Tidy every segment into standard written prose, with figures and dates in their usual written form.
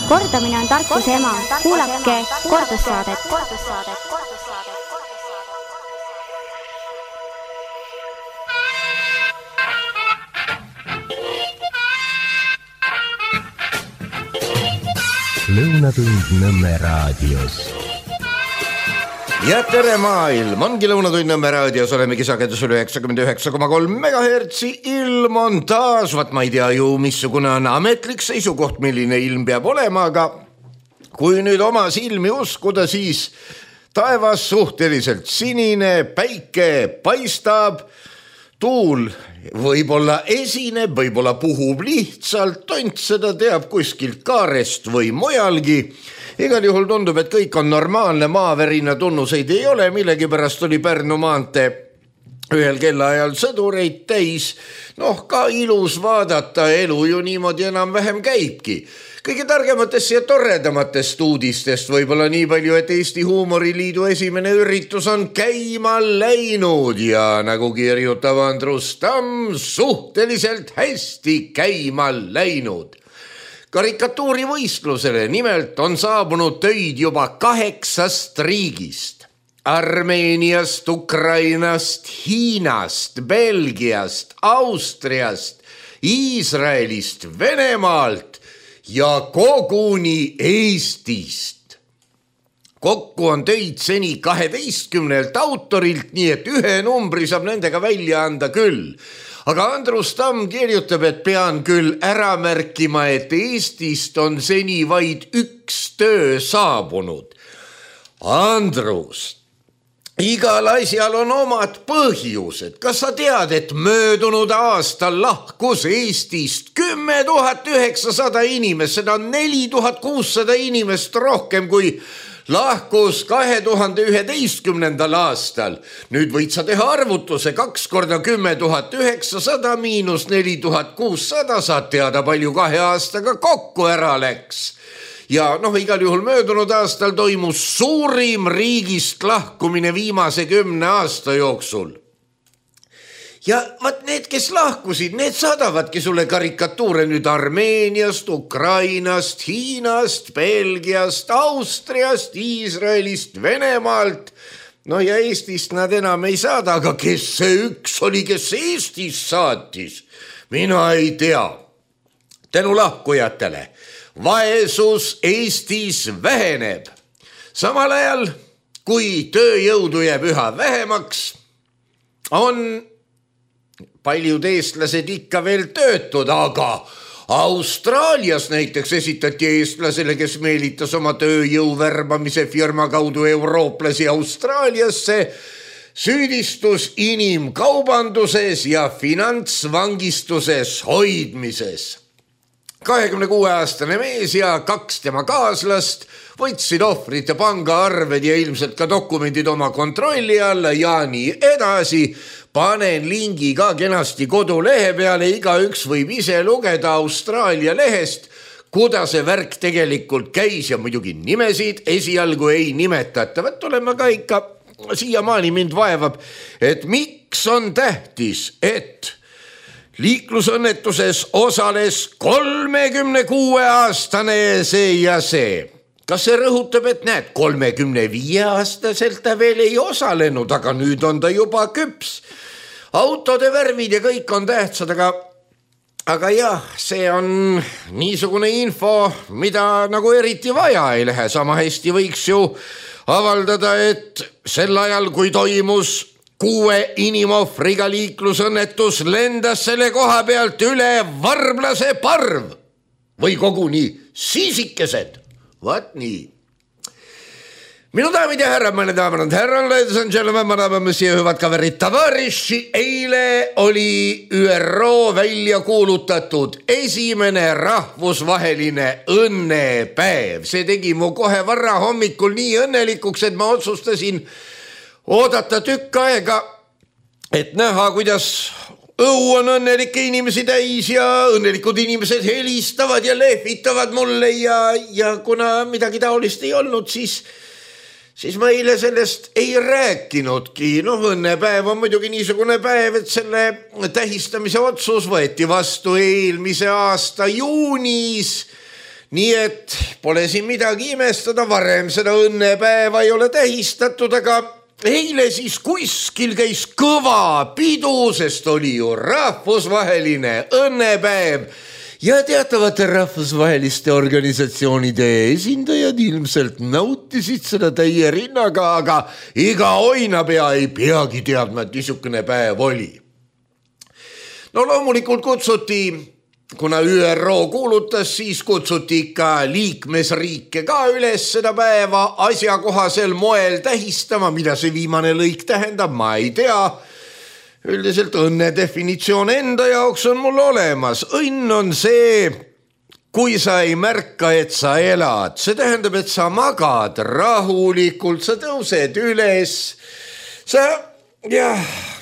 Kordamine on tarkuse ema. Kuulake kordussaadet. Lõunatund Nõmme raadios. Ja tere maailm, ongi Lõunatund Nõmme raadios, olemegi sagedusel 99,3 MHz, ilm on taas, ma ei tea ju, missugune on ametlik seisukoht, milline ilm peab olema, aga kui nüüd oma silmi uskuda, siis taevas suhteliselt sinine, päike paistab, tuul võib-olla esineb, võib-olla puhub lihtsalt, tont seda teab kuskilt kaarest või mujalgi. Igal juhul tundub, et kõik on normaalne, maavärina tunnuseid ei ole, millegipärast oli Pärnu maantee ühel kellaajal sõdureid täis. Ka ilus vaadata, elu ju niimoodi enam-vähem käibki. Kõige targematest ja toredamatest uudistest võib-olla nii palju, et Eesti Huumoriliidu esimene üritus on käima läinud ja nagu kirjutab Andrus Tamm, suhteliselt hästi käima läinud. Karikatuurivõistlusele nimelt on saabunud töid juba 8 riigist. Armeeniast, Ukrainast, Hiinast, Belgiast, Austriast, Iisraelist, Venemaalt ja koguni Eestist. Kokku on töid seni 12 autorilt, nii et ühe numbri saab nendega välja anda küll. Aga Andrus Tamm kirjutab, et pean küll ära märkima, et Eestist on seni vaid 1 töö saabunud. Andrus, igal asjal on omad põhjused. Kas sa tead, et möödunud aastal lahkus Eestist 10 900 inimest, seda on 4600 inimest rohkem kui lahkus 2011. aastal. Nüüd võid sa teha arvutuse 2 korda 10 900 miinus 4600, saad teada, palju 2 aastaga kokku ära läks. Ja igal juhul möödunud aastal toimus suurim riigist lahkumine viimase 10 aasta jooksul. Ja need, kes lahkusid, need saadavadki sulle karikatuure nüüd Armeeniast, Ukrainast, Hiinast, Belgiast, Austriast, Iisraelist, Venemaalt. Ja Eestist nad enam ei saada, aga kes see üks oli, kes Eestist saatis? Mina ei tea. Tänu lahkujatele. Vaesus Eestis väheneb. Samal ajal, kui tööjõudu jääb üha vähemaks, on paljud eestlased ikka veel töötud, aga Austraalias näiteks esitati eestlasele, kes meelitas oma tööjõu värbamise firma kaudu eurooplasi Austraaliasse, süüdistus inimkaubanduses ja finantsvangistuses hoidmises. 26-aastane mees ja 2 tema kaaslast võtsid ohvrite pangaarved ja ilmselt ka dokumendid oma kontrolli alla ja nii edasi. Panen lingi ka kenasti kodulehe peale, igaüks võib ise lugeda Austraalia lehest, kuidas see värk tegelikult käis ja muidugi nimesid esialgu ei nimetata. Oleme ka ikka, siiamaani mind vaevab, et miks on tähtis, et liiklusõnnetuses osales 36-aastane see ja see. Kas see rõhutab, et 35-aastaselt ta veel ei osalenud, aga nüüd on ta juba küps. Autode värvid ja kõik on tähtsad, aga jah, see on niisugune info, mida nagu eriti vaja ei lähe. Sama hästi võiks ju avaldada, et sel ajal, kui toimus 6 inimohvriga liiklusõnnetus, lendas selle koha pealt üle varblase parv või koguni siisikesed. Vaat nii. Minu daamid ja härrad, meine daamid und herran, ladies and gentlemen, madame, monsieur, hüvad kaverid, tavariši, eile oli ÜRO välja kuulutatud esimene rahvusvaheline õnnepäev. See tegi mu kohe varra hommikul nii õnnelikuks, et ma otsustasin oodata tükk aega, et näha, kuidas õu on õnnelikke inimesi täis ja õnnelikud inimesed helistavad ja lehvitavad mulle ja kuna midagi taolist ei olnud, siis ma eile sellest ei rääkinudki. Õnnepäev on muidugi niisugune päev, et selle tähistamise otsus võeti vastu eelmise aasta juunis. nii et pole siin midagi imestada, varem seda õnnepäeva ei ole tähistatud, aga eile siis kuskil käis kõva pidu, sest oli ju rahvusvaheline õnnepäev ja teatavate rahvusvaheliste organisatsioonide esindajad ilmselt nautisid seda täie rinnaga, aga iga oinapea ei peagi teadma, et niisugune päev oli. No loomulikult kutsuti, kuna ÜRO kuulutas, siis kutsuti ikka liikmesriike ka üles seda päeva asjakohasel moel tähistama, mida see viimane lõik tähendab, ma ei tea. Üldiselt õnne definitsioon enda jaoks on mul olemas. Õnn on see, kui sa ei märka, et sa elad. See tähendab, et sa magad rahulikult, sa tõused üles.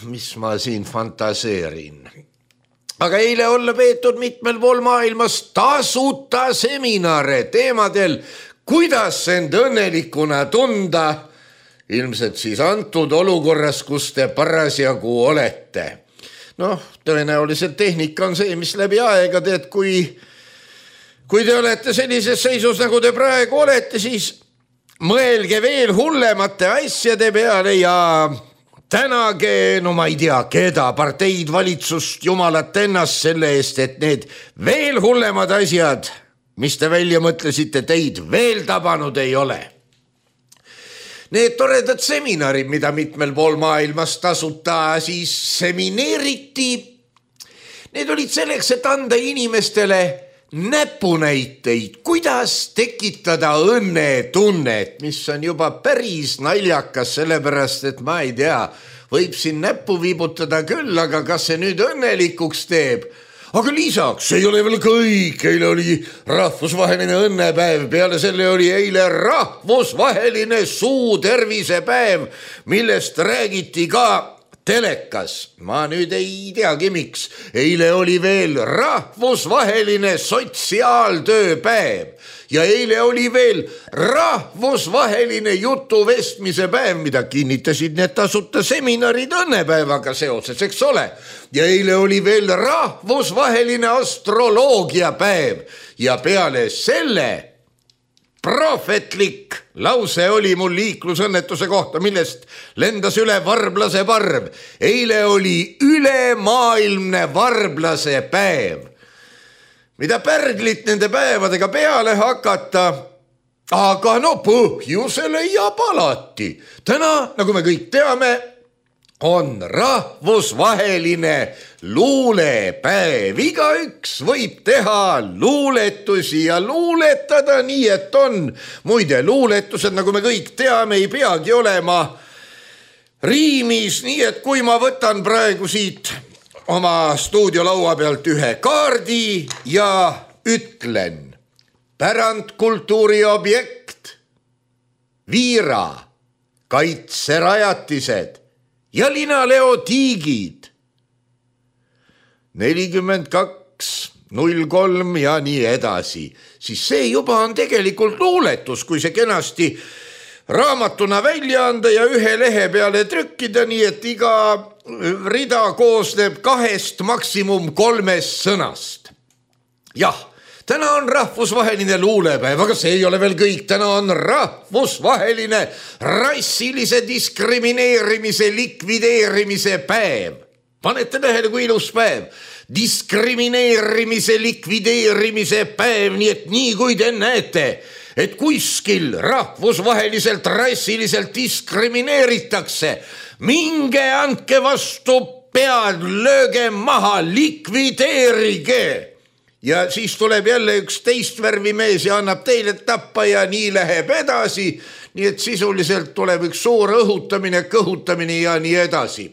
Mis ma siin fantaseerin. Aga eile olla peetud mitmel pool maailmas tasuta seminare teemadel, kuidas end õnnelikuna tunda, ilmselt siis antud olukorras, kus te parasjagu olete. Tõenäoliselt tehnika on see, mis läbi aegade, et kui te olete sellises seisus, nagu te praegu olete, siis mõelge veel hullemate asjade peale ja tänage, ma ei tea, keda, parteid, valitsust, jumalat ennast selle eest, et need veel hullemad asjad, mis te välja mõtlesite, teid veel tabanud ei ole. Need toredad seminarid, mida mitmel pool maailmas tasuta siis semineeriti, need olid selleks, et anda inimestele näpunäiteid, kuidas tekitada õnnetunnet, mis on juba päris naljakas, sellepärast, et ma ei tea, võib siin näppu viibutada küll, aga kas see nüüd õnnelikuks teeb? Aga lisaks, see ei ole veel kõik, eile oli rahvusvaheline õnnepäev, peale selle oli eile rahvusvaheline suutervisepäev, millest räägiti ka telekas. Ma nüüd ei teagi miks. Eile oli veel rahvusvaheline sotsiaaltööpäev ja eile oli veel rahvusvaheline jutuvestmise päev, mida kinnitasid need tasuta seminarid õnnepäevaga seoses, eks ole. Ja eile oli veel rahvusvaheline astroloogiapäev ja peale selle prohvetlik lause oli mul liiklusõnnetuse kohta, millest lendas üle varblase parv. Eile oli ülemaailmne varblase päev. Mida pärglit nende päevadega peale hakata, aga põhjuse leiab alati. Täna, nagu me kõik teame, on rahvusvaheline luulepäev. Igaüks võib teha luuletusi ja luuletada nii, et on. Muide, luuletused, nagu me kõik teame, ei peagi olema riimis, nii et kui ma võtan praegu siit oma stuudiolaua pealt ühe kaardi ja ütlen pärandkultuuri objekt, Viira, kaitserajatised ja Linaleo tiigid 4203 ja nii edasi, siis see juba on tegelikult luuletus, kui see kenasti raamatuna välja anda ja ühe lehe peale trükkida, nii et iga rida koosneb 2, maksimum 3 sõnast. Jah, täna on rahvusvaheline luulepäev, aga see ei ole veel kõik. Täna on rahvusvaheline rassilise diskrimineerimise likvideerimise päev. Panete tähele, kui ilus päev. Diskrimineerimise likvideerimise päev, nii et nii kui te näete, et kuskil rahvusvaheliselt rassiliselt diskrimineeritakse, minge andke vastu pead, lööge maha, likvideerige. Ja siis tuleb jälle üks teist värvi mees ja annab teile tappa ja nii läheb edasi. Nii et sisuliselt tuleb üks suur õhutamine, kõhutamine ja nii edasi.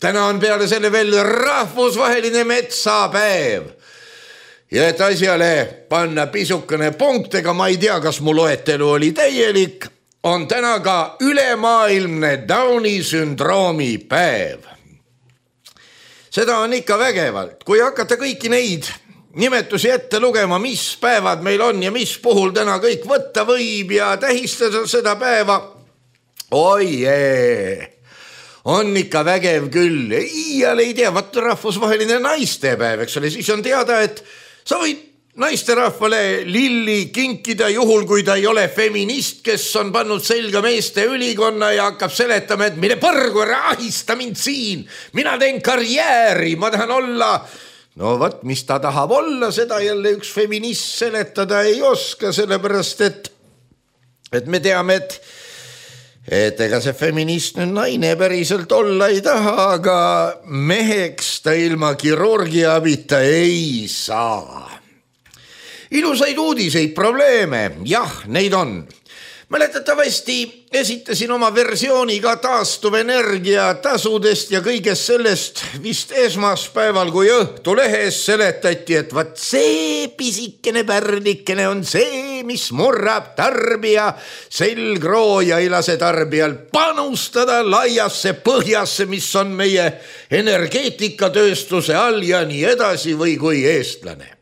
Täna on peale selle veel rahvusvaheline metsapäev. Ja et asjale panna pisukene punktega, ma ei tea, kas mu loetelu oli täielik, on täna ka ülemaailmne Downi sündroomi päev. Seda on ikka vägevalt. Kui hakata kõiki neid nimetusi ette lugema, mis päevad meil on ja mis puhul täna kõik võtta võib ja tähistada seda päeva, on ikka vägev küll. Iial ei tea, vaata rahvusvaheline naistepäev, eks ole, siis on teada, et sa võid naisterahvale lilli kinkida juhul, kui ta ei ole feminist, kes on pannud selga meeste ülikonna ja hakkab seletama, et mine põrgu, ära ahista mind siin, mina teen karjääri, ma tahan olla. No võt, mis ta tahab olla, seda jälle üks feminist seletada ei oska, sellepärast et me teame, et ega see feminist nüüd naine päriselt olla ei taha, aga meheks ta ilma kirurgia abita ei saa. Ilusaid uudiseid, probleeme, jah, neid on. Mäletatavasti esitasin oma versiooni ka taastuvenergia tasudest ja kõigest sellest vist esmaspäeval, kui Õhtulehes seletati, et vaat see pisikene pärlikene on see, mis murrab tarbija selgroo ja ei lase tarbijal panustada laiasse põhjasse, mis on meie energeetikatööstuse all ja nii edasi või kui eestlane.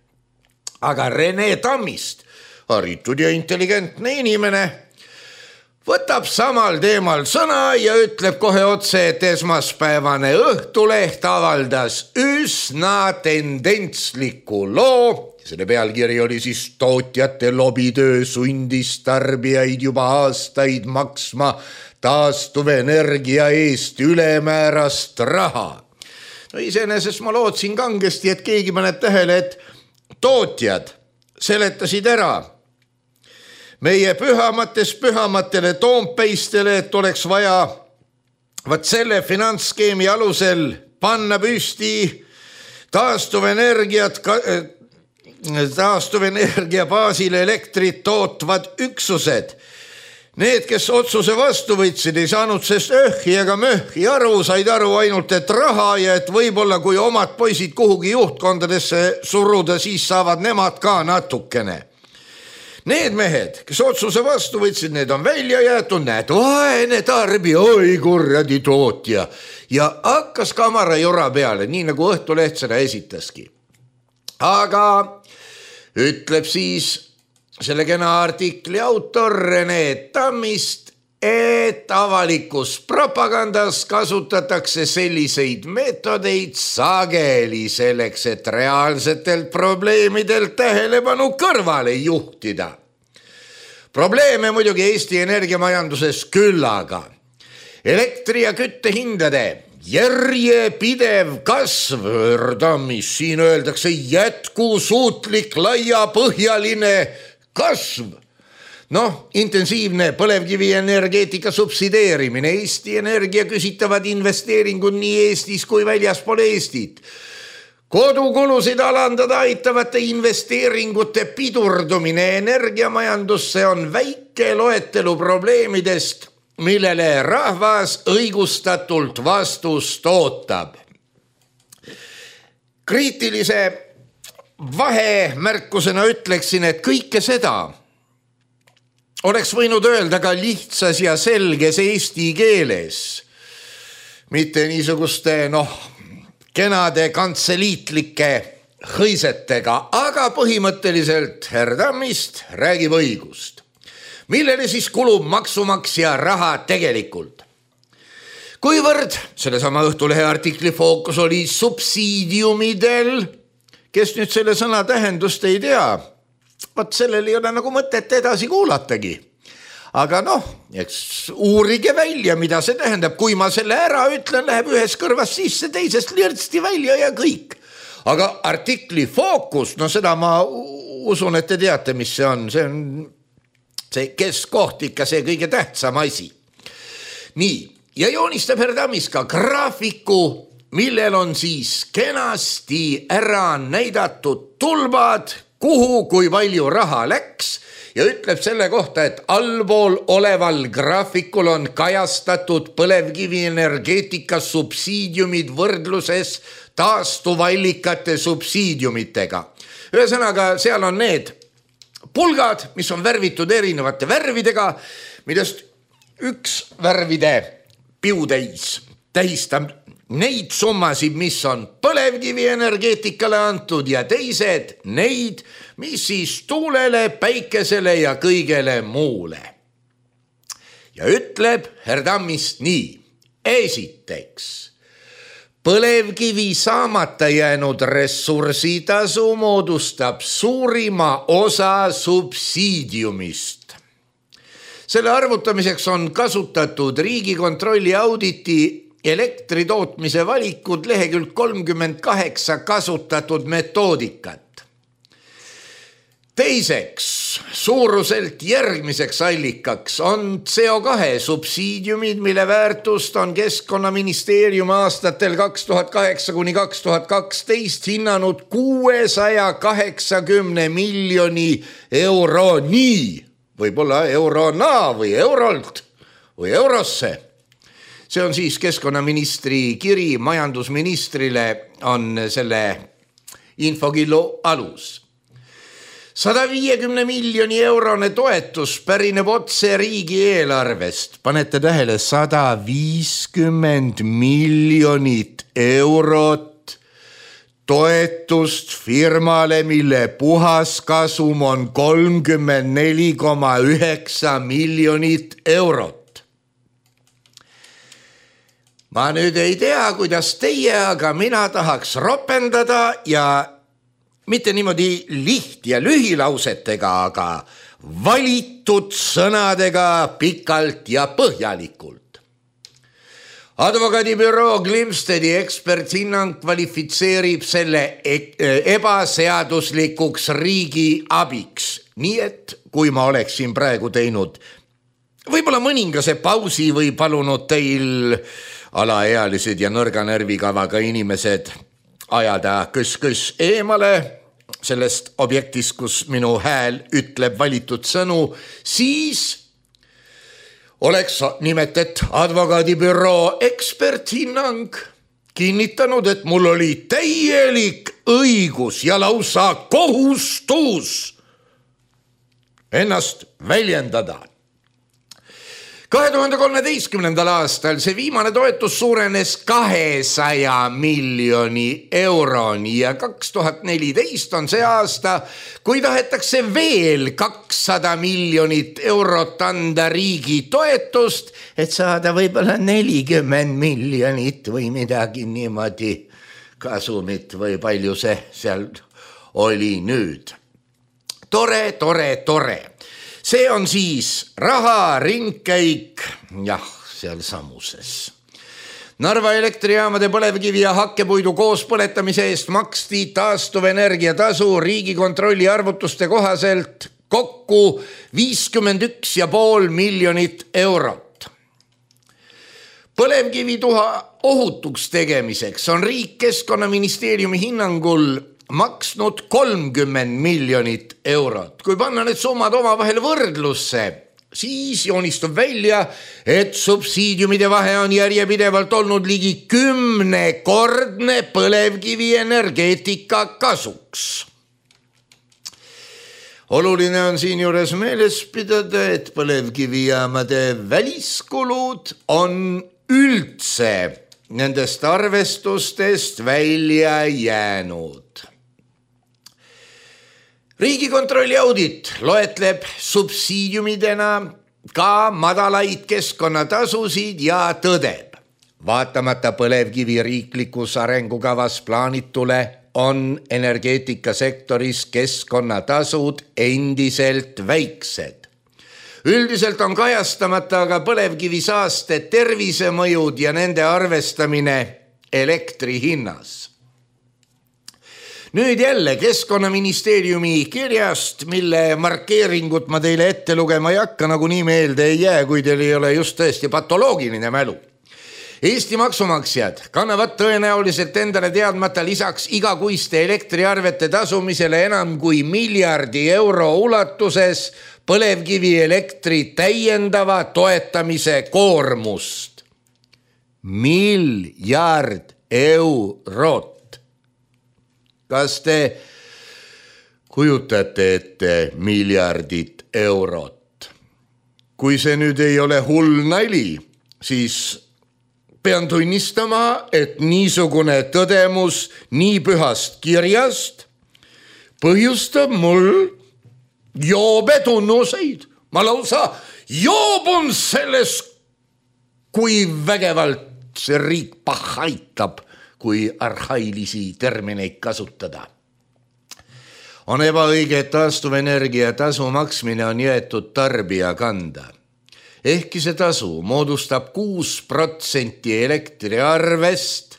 Aga Rene Tammist, haritud ja intelligentne inimene, võtab samal teemal sõna ja ütleb kohe otse, et esmaspäevane Õhtuleht avaldas üsna tendentsliku loo. Selle pealkiri oli siis tootjate lobitöö sundis tarbijaid juba aastaid maksma taastuvenergia eest ülemäärast raha. No iseenesest ma lootsin kangesti, et keegi paneb tähele, et tootjad seletasid ära meie pühamatele Toompeistele, et oleks vaja vaat selle finantsskeemi alusel panna püsti taastuvenergia baasil elektrit tootvad üksused. Need, kes otsuse vastu võtsid, ei saanud sest öhhi ega möhhi aru, said aru ainult, et raha ja et võib-olla kui omad poisid kuhugi juhtkondadesse suruda, siis saavad nemad ka natukene. Need mehed, kes otsuse vastu võtsid, need on välja jäetud, näed, vaene tarbija, oi kurradi tootja. Ja hakkas kamara jora peale, nii nagu Õhtuleht seda esitaski. Aga ütleb siis selle kena artikli autor Rene Tammist, et avalikus propagandas kasutatakse selliseid meetodeid sageli selleks, et reaalsetelt probleemidelt tähelepanu kõrvale juhtida. Probleeme muidugi Eesti energiamajanduses küllaga. Elektri ja küttehindade järjepidev kasv, Tammis, siin öeldakse jätkusuutlik laiapõhjaline kasv. Intensiivne põlevkivi energeetika subsideerimine, Eesti Energia küsitavad investeeringud nii Eestis kui väljaspool Eestit. Kodukulusid alandada aitavate investeeringute pidurdumine energiamajandusse on väike loetelu probleemidest, millele rahvas õigustatult vastust ootab. Kriitilise vahemärkusena ütleksin, et kõike seda oleks võinud öelda ka lihtsas ja selges eesti keeles, mitte niisuguste, kenade kantseliitlike hõisetega, aga põhimõtteliselt Herr Tammist räägib õigust. Millele siis kulub maksumaksja raha tegelikult? Kuivõrd sellesama Õhtulehe artikli fookus oli subsiidiumidel, kes nüüd selle sõna tähendust ei tea, vaat sellel ei ole nagu mõtet edasi kuulatagi. Aga eks uurige välja, mida see tähendab. Kui ma selle ära ütlen, läheb ühes kõrvas sisse, teisest lirtsti välja ja kõik. Aga artikli fookus, seda ma usun, et te teate, mis see on. See on see keskkoht ikka see kõige tähtsam asi. Nii, ja joonistab Herr Tammist ka graafiku, millel on siis kenasti ära näidatud tulbad, kuhu kui palju raha läks ja ütleb selle kohta, et allpool oleval graafikul on kajastatud põlevkivi energeetika subsiidiumid võrdluses taastuvallikate subsiidiumitega. Ühesõnaga, seal on need pulgad, mis on värvitud erinevate värvidega, millest üks värvide piutäis tähistab neid summasid, mis on põlevkivi energeetikale antud ja teised neid, mis siis tuulele, päikesele ja kõigele muule. Ja ütleb Herr Tammist nii. Esiteks, Põlevkivi saamata jäänud ressursitasu moodustab suurima osa subsiidiumist. Selle arvutamiseks on kasutatud Riigikontrolli auditi elektri tootmise valikud lehekülg 38 kasutatud metoodikat. Teiseks, suuruselt järgmiseks allikaks on CO2 subsiidiumid, mille väärtust on Keskkonnaministeerium aastatel 2008–2012 hinnanud 680 miljoni euroni, võib-olla eurona või eurolt või eurosse. See on siis keskkonnaministri kiri majandusministrile on selle infokillu alus. 150 miljoni eurone toetus pärineb otse riigieelarvest. Panete tähele, 150 miljonit eurot toetust firmale, mille puhaskasum on 34,9 miljonit eurot. Ma nüüd ei tea, kuidas teie, aga mina tahaks ropendada ja mitte niimoodi liht- ja lühilausetega, aga valitud sõnadega pikalt ja põhjalikult. Advokaadibüroo Glimstedi eksperthinnang kvalifitseerib selle ebaseaduslikuks riigi abiks. Nii et kui ma oleksin praegu teinud võib-olla mõningase pausi või palunud teil alaealised ja nõrga närvikavaga inimesed ajada kõs eemale sellest objektist, kus minu hääl ütleb valitud sõnu, siis oleks nimetet advokaadibüroo eksperthinnang kinnitanud, et mul oli täielik õigus ja lausa kohustus ennast väljendada. 2013. aastal see viimane toetus suurenes 200 miljoni euroni ja 2014 on see aasta, kui tahetakse veel 200 miljonit eurot anda riigi toetust, et saada võib-olla 40 miljonit või midagi niimoodi kasumit või palju see seal oli nüüd. Tore. See on siis raha ringkäik, jah, seal samuses. Narva elektrijaamade põlevkivi ja hakkepuidu koos põletamise eest maksti taastuvenergia tasu Riigikontrolli arvutuste kohaselt kokku 51,5 miljonit eurot. Põlevkivituha ohutuks tegemiseks on riik Keskkonnaministeeriumi hinnangul maksnud 30 miljonit eurot. Kui panna need summad omavahel võrdlusse, siis joonistub välja, et subsiidiumide vahe on järjepidevalt olnud ligi 10-kordne põlevkivi energeetika kasuks. Oluline on siin juures meeles pidada, et põlevkivijaamade väliskulud on üldse nendest arvestustest välja jäänud. Riigikontrolli audit loetleb subsiidiumidena ka madalaid keskkonnatasusid ja tõdeb. Vaatamata põlevkivi riiklikus arengukavas plaanitule on energeetikasektoris keskkonnatasud endiselt väiksed. Üldiselt on kajastamata aga põlevkivisaaste tervisemõjud ja nende arvestamine elektri hinnas. Nüüd jälle Keskkonnaministeeriumi kirjast, mille markeeringut ma teile ette lugema ei hakka, nagu nii meelde ei jää, kui teil ei ole just tõesti patoloogiline mälu. Eesti maksumaksjad kannavad tõenäoliselt endale teadmata lisaks igakuiste elektriarvete tasumisele enam kui miljardi euro ulatuses põlevkivi elektri täiendava toetamise koormust. Miljard eurot. Kas te kujutate ette miljardit eurot? Kui see nüüd ei ole hull nali, siis pean tunnistama, et niisugune tõdemus nii pühast kirjast põhjustab mul joobetunnuseid. Ma lausa joobun selles, kui vägevalt see riik pahaitab, kui arhailisi termineid kasutada. On ebaõige, et taastuvenergia tasu maksmine on jäetud tarbija kanda. Ehkki see tasu moodustab 6% elektriarvest,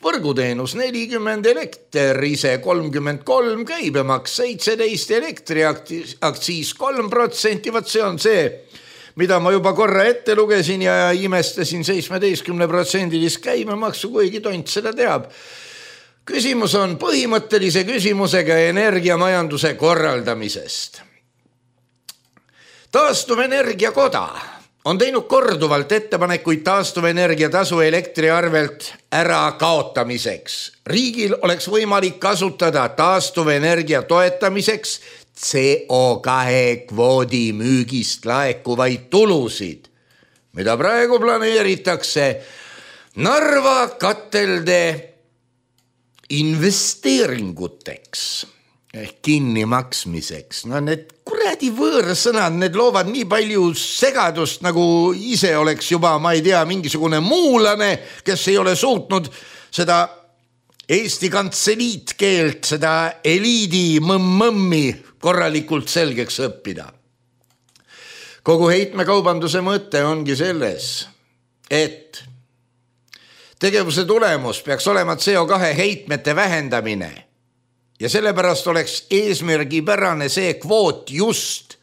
võrguteenus 40, elekter ise 33, käibemaks 17, elektriaktsiis 3%, vaat see on see, mida ma juba korra ette lugesin ja imestasin 17% käibemaksu, kuigi tont seda teab. Küsimus on põhimõttelise küsimusega energiamajanduse korraldamisest. Taastuvenergia koda on teinud korduvalt ettepanekuid taastuvenergia tasu elektriarvelt ära kaotamiseks. Riigil oleks võimalik kasutada taastuvenergia toetamiseks CO2 kvoodi müügist laekuvaid tulusid, mida praegu planeeritakse Narva katelde investeeringuteks ehk kinni maksmiseks. No need kuradi võõrsõnad, need loovad nii palju segadust, nagu ise oleks juba, ma ei tea, mingisugune muulane, kes ei ole suutnud seda Eesti kantseliitkeelt, seda eliidi mõmmi korralikult selgeks õppida. Kogu heitmekaubanduse mõte ongi selles, et tegevuse tulemus peaks olema CO2 heitmete vähendamine ja sellepärast oleks eesmärgipärane see kvoot just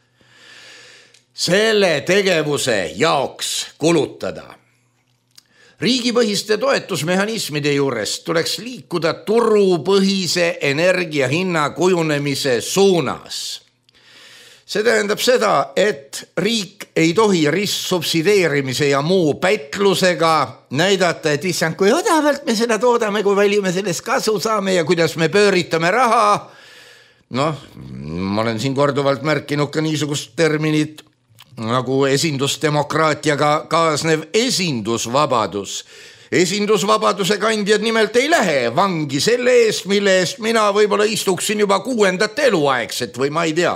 selle tegevuse jaoks kulutada. Riigipõhiste toetusmehhanismide juures tuleks liikuda turupõhise energiahinna kujunemise suunas. See tähendab seda, et riik ei tohi ristsubsideerimise ja muu pätlusega näidata, et issand, kui odavalt me seda toodame, kui palju me sellest kasu saame ja kuidas me pööritame raha. Noh, ma olen siin korduvalt märkinud ka niisugust terminit nagu esindusdemokraatiaga kaasnev esindusvabadus. Esindusvabaduse kandjad nimelt ei lähe vangi selle eest, mille eest mina võib-olla istuksin juba 6. eluaegset või ma ei tea.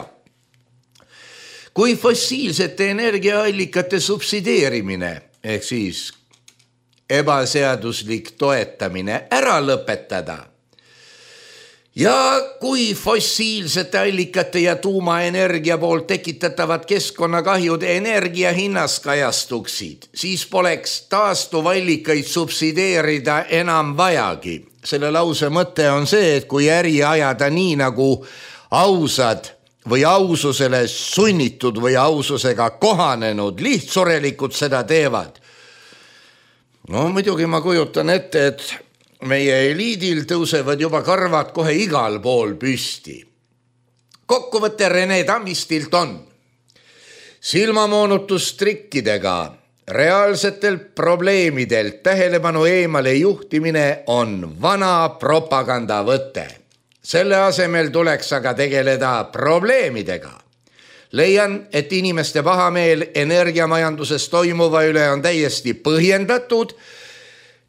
Kui fossiilsete energiaallikate subsideerimine ehk siis ebaseaduslik toetamine ära lõpetada ja kui fossiilsete allikate ja tuumaenergia poolt tekitatavad keskkonnakahjud energiahinnas kajastuksid, siis poleks taastuvallikaid subsideerida enam vajagi. Selle lause mõte on see, et kui äri ajada nii nagu ausad või aususele sunnitud või aususega kohanenud lihtsurelikud seda teevad. No muidugi ma kujutan ette, et meie eliidil tõusevad juba karvad kohe igal pool püsti. Kokkuvõte Rene Tammistilt on silmamoonutustrikkidega reaalsetel probleemidelt tähelepanu eemale juhtimine on vana propagandavõte. Selle asemel tuleks aga tegeleda probleemidega. Leian, et inimeste pahameel energiamajanduses toimuva üle on täiesti põhjendatud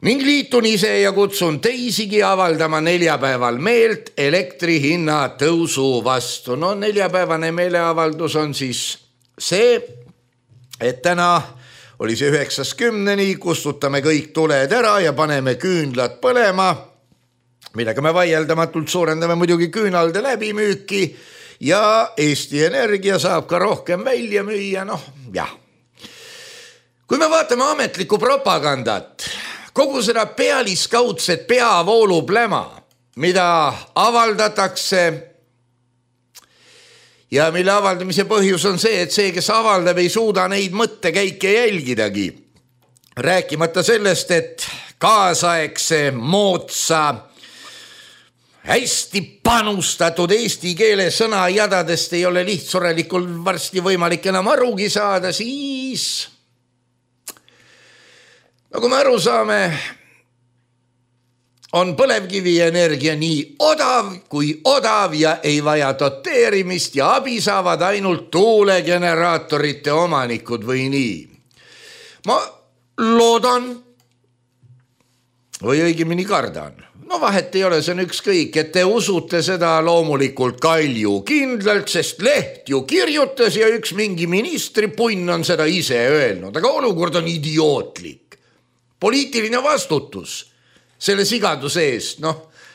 ning liitun ise ja kutsun teisigi avaldama neljapäeval meelt elektri hinna tõusu vastu. No neljapäevane meeleavaldus on siis see, et täna oli see 9-10, kustutame kõik tuled ära ja paneme küünlad põlema, millega me vaieldamatult suurendame muidugi küünalde läbimüüki ja Eesti Energia saab ka rohkem välja müüa, noh jah. Kui me vaatame ametlikku propagandat, kogu seda pealiskaudset peavoolu pläma, mida avaldatakse ja mille avaldamise põhjus on see, et see, kes avaldab, ei suuda neid mõttekäike jälgidagi. Rääkimata sellest, et kaasaegse moodsa hästi panustatud eesti keele sõnajadadest ei ole lihtsurelikul varsti võimalik enam arugi saada, siis nagu me aru saame, on põlevkivienergia nii odav kui odav ja ei vaja doteerimist ja abi saavad ainult tuulegeneraatorite omanikud või nii. Ma loodan või õigemini kardan. No vahet ei ole, see on ükskõik, et te usute seda loomulikult Kalju kindlalt, sest leht ju kirjutas ja üks mingi ministripunn on seda ise öelnud, aga olukord on idiootlik. Poliitiline vastutus selle sigaduse eest,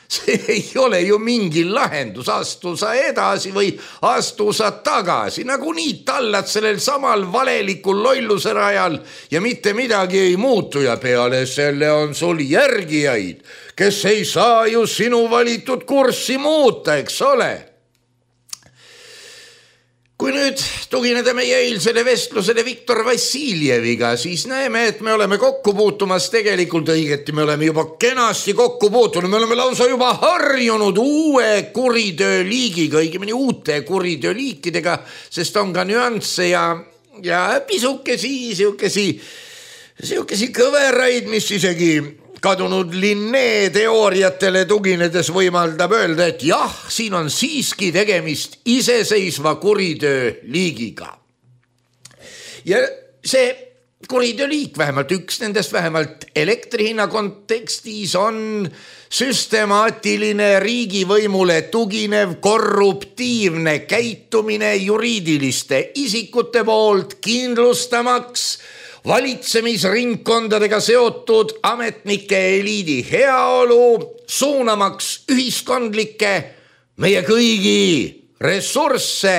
see ei ole ju mingi lahendus, astu sa edasi või astu sa tagasi, nagunii tallad sellel samal valelikul lolluse rajal ja mitte midagi ei muutu ja peale selle on sul järgijaid, kes ei saa ju sinu valitud kurssi muuta, eks ole. Kui nüüd tugineda meie eilsele vestlusele Viktor Vassiljeviga, siis näeme, et me oleme kokku puutumas tegelikult õigeti, me oleme juba kenasti kokku puutunud, me oleme lausa juba harjunud uue kuritööliigiga, õigemini uute kuritööliikidega, sest on ka nüansse ja pisukesi kõveraid, mis isegi kadunud Linné teooriatele tuginedes võimaldab öelda, et jah, siin on siiski tegemist iseseisva kuritööliigiga. Ja see kuritööliik, vähemalt üks nendest, vähemalt elektrihinna kontekstis on süstemaatiline riigivõimule tuginev korruptiivne käitumine juriidiliste isikute poolt kindlustamaks valitsemisringkondadega seotud ametnike eliidi heaolu, suunamaks ühiskondlikke meie kõigi ressursse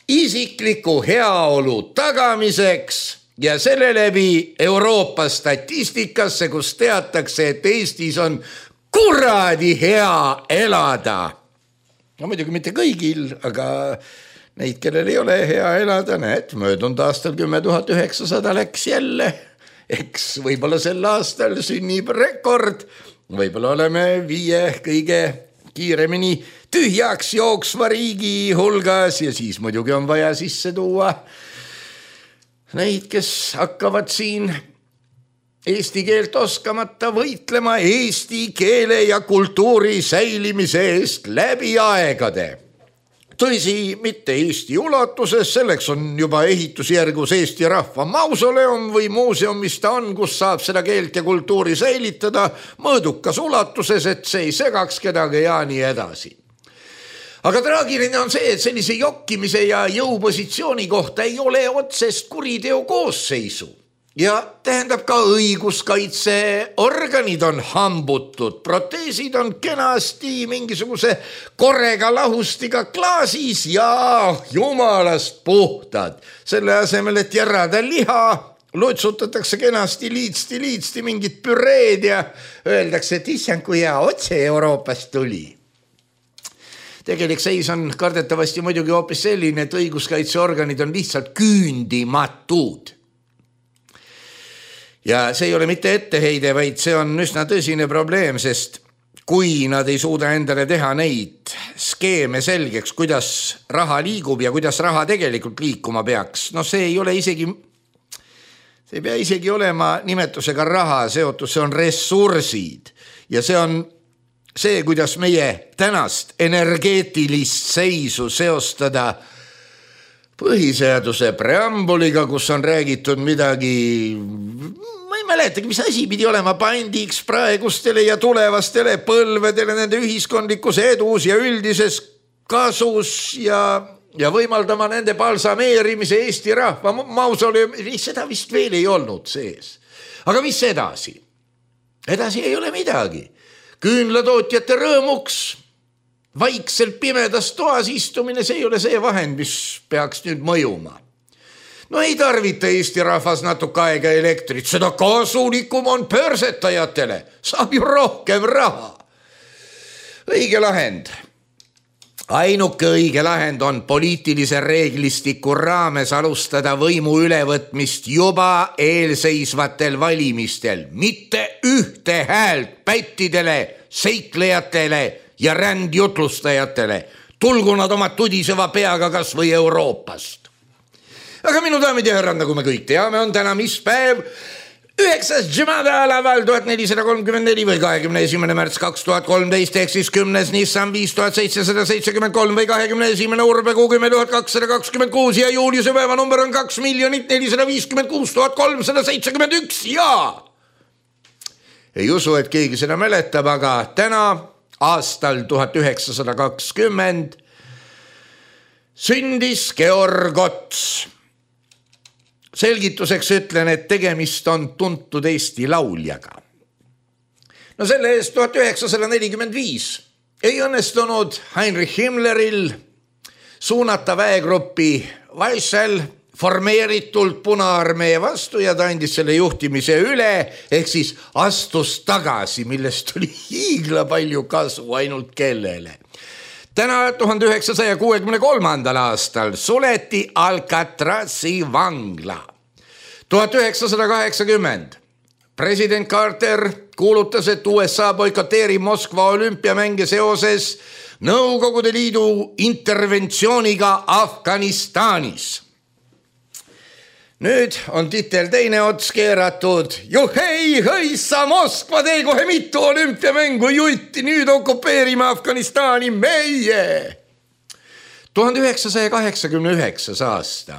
isikliku heaolu tagamiseks ja selle läbi Euroopa statistikasse, kus teatakse, et Eestis on kuradi hea elada. No muidugi mitte kõigil, aga neid, kellel ei ole hea elada, möödunud aastal 10 900 läks jälle, eks võib-olla sel aastal sünnib rekord, võib-olla oleme 5 kõige kiiremini tühjaks jooksva riigi hulgas ja siis muidugi on vaja sisse tuua neid, kes hakkavad siin eesti keelt oskamata võitlema eesti keele ja kultuuri säilimise eest läbi aegade. Tõsi, mitte Eesti ulatuses, selleks on juba ehitusjärgus Eesti rahva mausoleum või muuseum, mis ta on, kus saab seda keelt ja kultuuri säilitada mõõdukas ulatuses, et see ei segaks kedagi ja nii edasi. Aga traagiline on see, et sellise jokkimise ja jõupositsiooni kohta ei ole otsest kuriteo koosseisu. Ja tähendab ka õiguskaitseorganid on hambutud, proteesid on kenasti mingisuguse korega lahustiga klaasis ja jumalast puhtad. Selle asemel, et järrada liha, lutsutatakse kenasti liitsti mingit püreed ja öeldakse, et issand, kui hea otse Euroopast tuli. Tegelik seis on kardetavasti muidugi hoopis selline, et õiguskaitseorganid on lihtsalt küündimatud. Ja see ei ole mitte etteheide, vaid see on üsna tõsine probleem, sest kui nad ei suuda endale teha neid skeeme selgeks, kuidas raha liigub ja kuidas raha tegelikult liikuma peaks, see ei ole isegi, see ei pea isegi olema nimetusega raha seotud, see on ressursid ja see on see, kuidas meie tänast energeetilist seisu seostada põhiseaduse preambuliga, kus on räägitud midagi, ma ei mäletagi, mis asi pidi olema pandiks praegustele ja tulevastele põlvedele nende ühiskondlikus edus ja üldises kasus ja võimaldama nende balsameerimise Eesti rahva mausoleum, seda vist veel ei olnud sees. Aga mis edasi? Edasi ei ole midagi. Küünlatootjate rõõmuks vaikselt pimedas toas istumine, see ei ole see vahend, mis peaks nüüd mõjuma. Ei tarvita Eesti rahvas natuke aega elektrit, seda kasulikum on pörsetajatele, saab ju rohkem raha. Õige lahend. Ainuke õige lahend on poliitilise reeglistiku raames alustada võimu ülevõtmist juba eelseisvatel valimistel, mitte ühte häält pättidele, seiklejatele ja rändjutlustajatele, tulgu nad oma tudiseva peaga kas või Euroopast. Aga minu daamid ja härrad, nagu me kõik teame, on täna mis päev? 9. Jumada alaval 1434 või 21. märts 2013 ehk siis 10. Nissan 5773 või 21. Urbekuu 10226 ja juuliuse päeva number on 2 456 371 ja ei usu, et keegi seda mäletab, aga täna aastal 1920 sündis Georg Ots. Selgituseks ütlen, et tegemist on tuntud Eesti lauljaga. No selle eest 1945 ei õnnestunud Heinrich Himmleril suunata väegruppi Weissel formeeritult Punaarmee vastu ja ta andis selle juhtimise üle, ehk siis astus tagasi, millest tuli hiigla palju kasu ainult kellele. Täna 1963. aastal suleti Alcatrazi vangla. 1980 president Carter kuulutas, et USA boikoteerib Moskva olümpiamänge seoses Nõukogude Liidu interventsiooniga Afganistanis. Nüüd on titel teine ots keeratud. Juhei, hõissa, Moskva tee kohe mitu olümpiamängu jutti, nüüd okupeerime Afganistani meie. 1989. aasta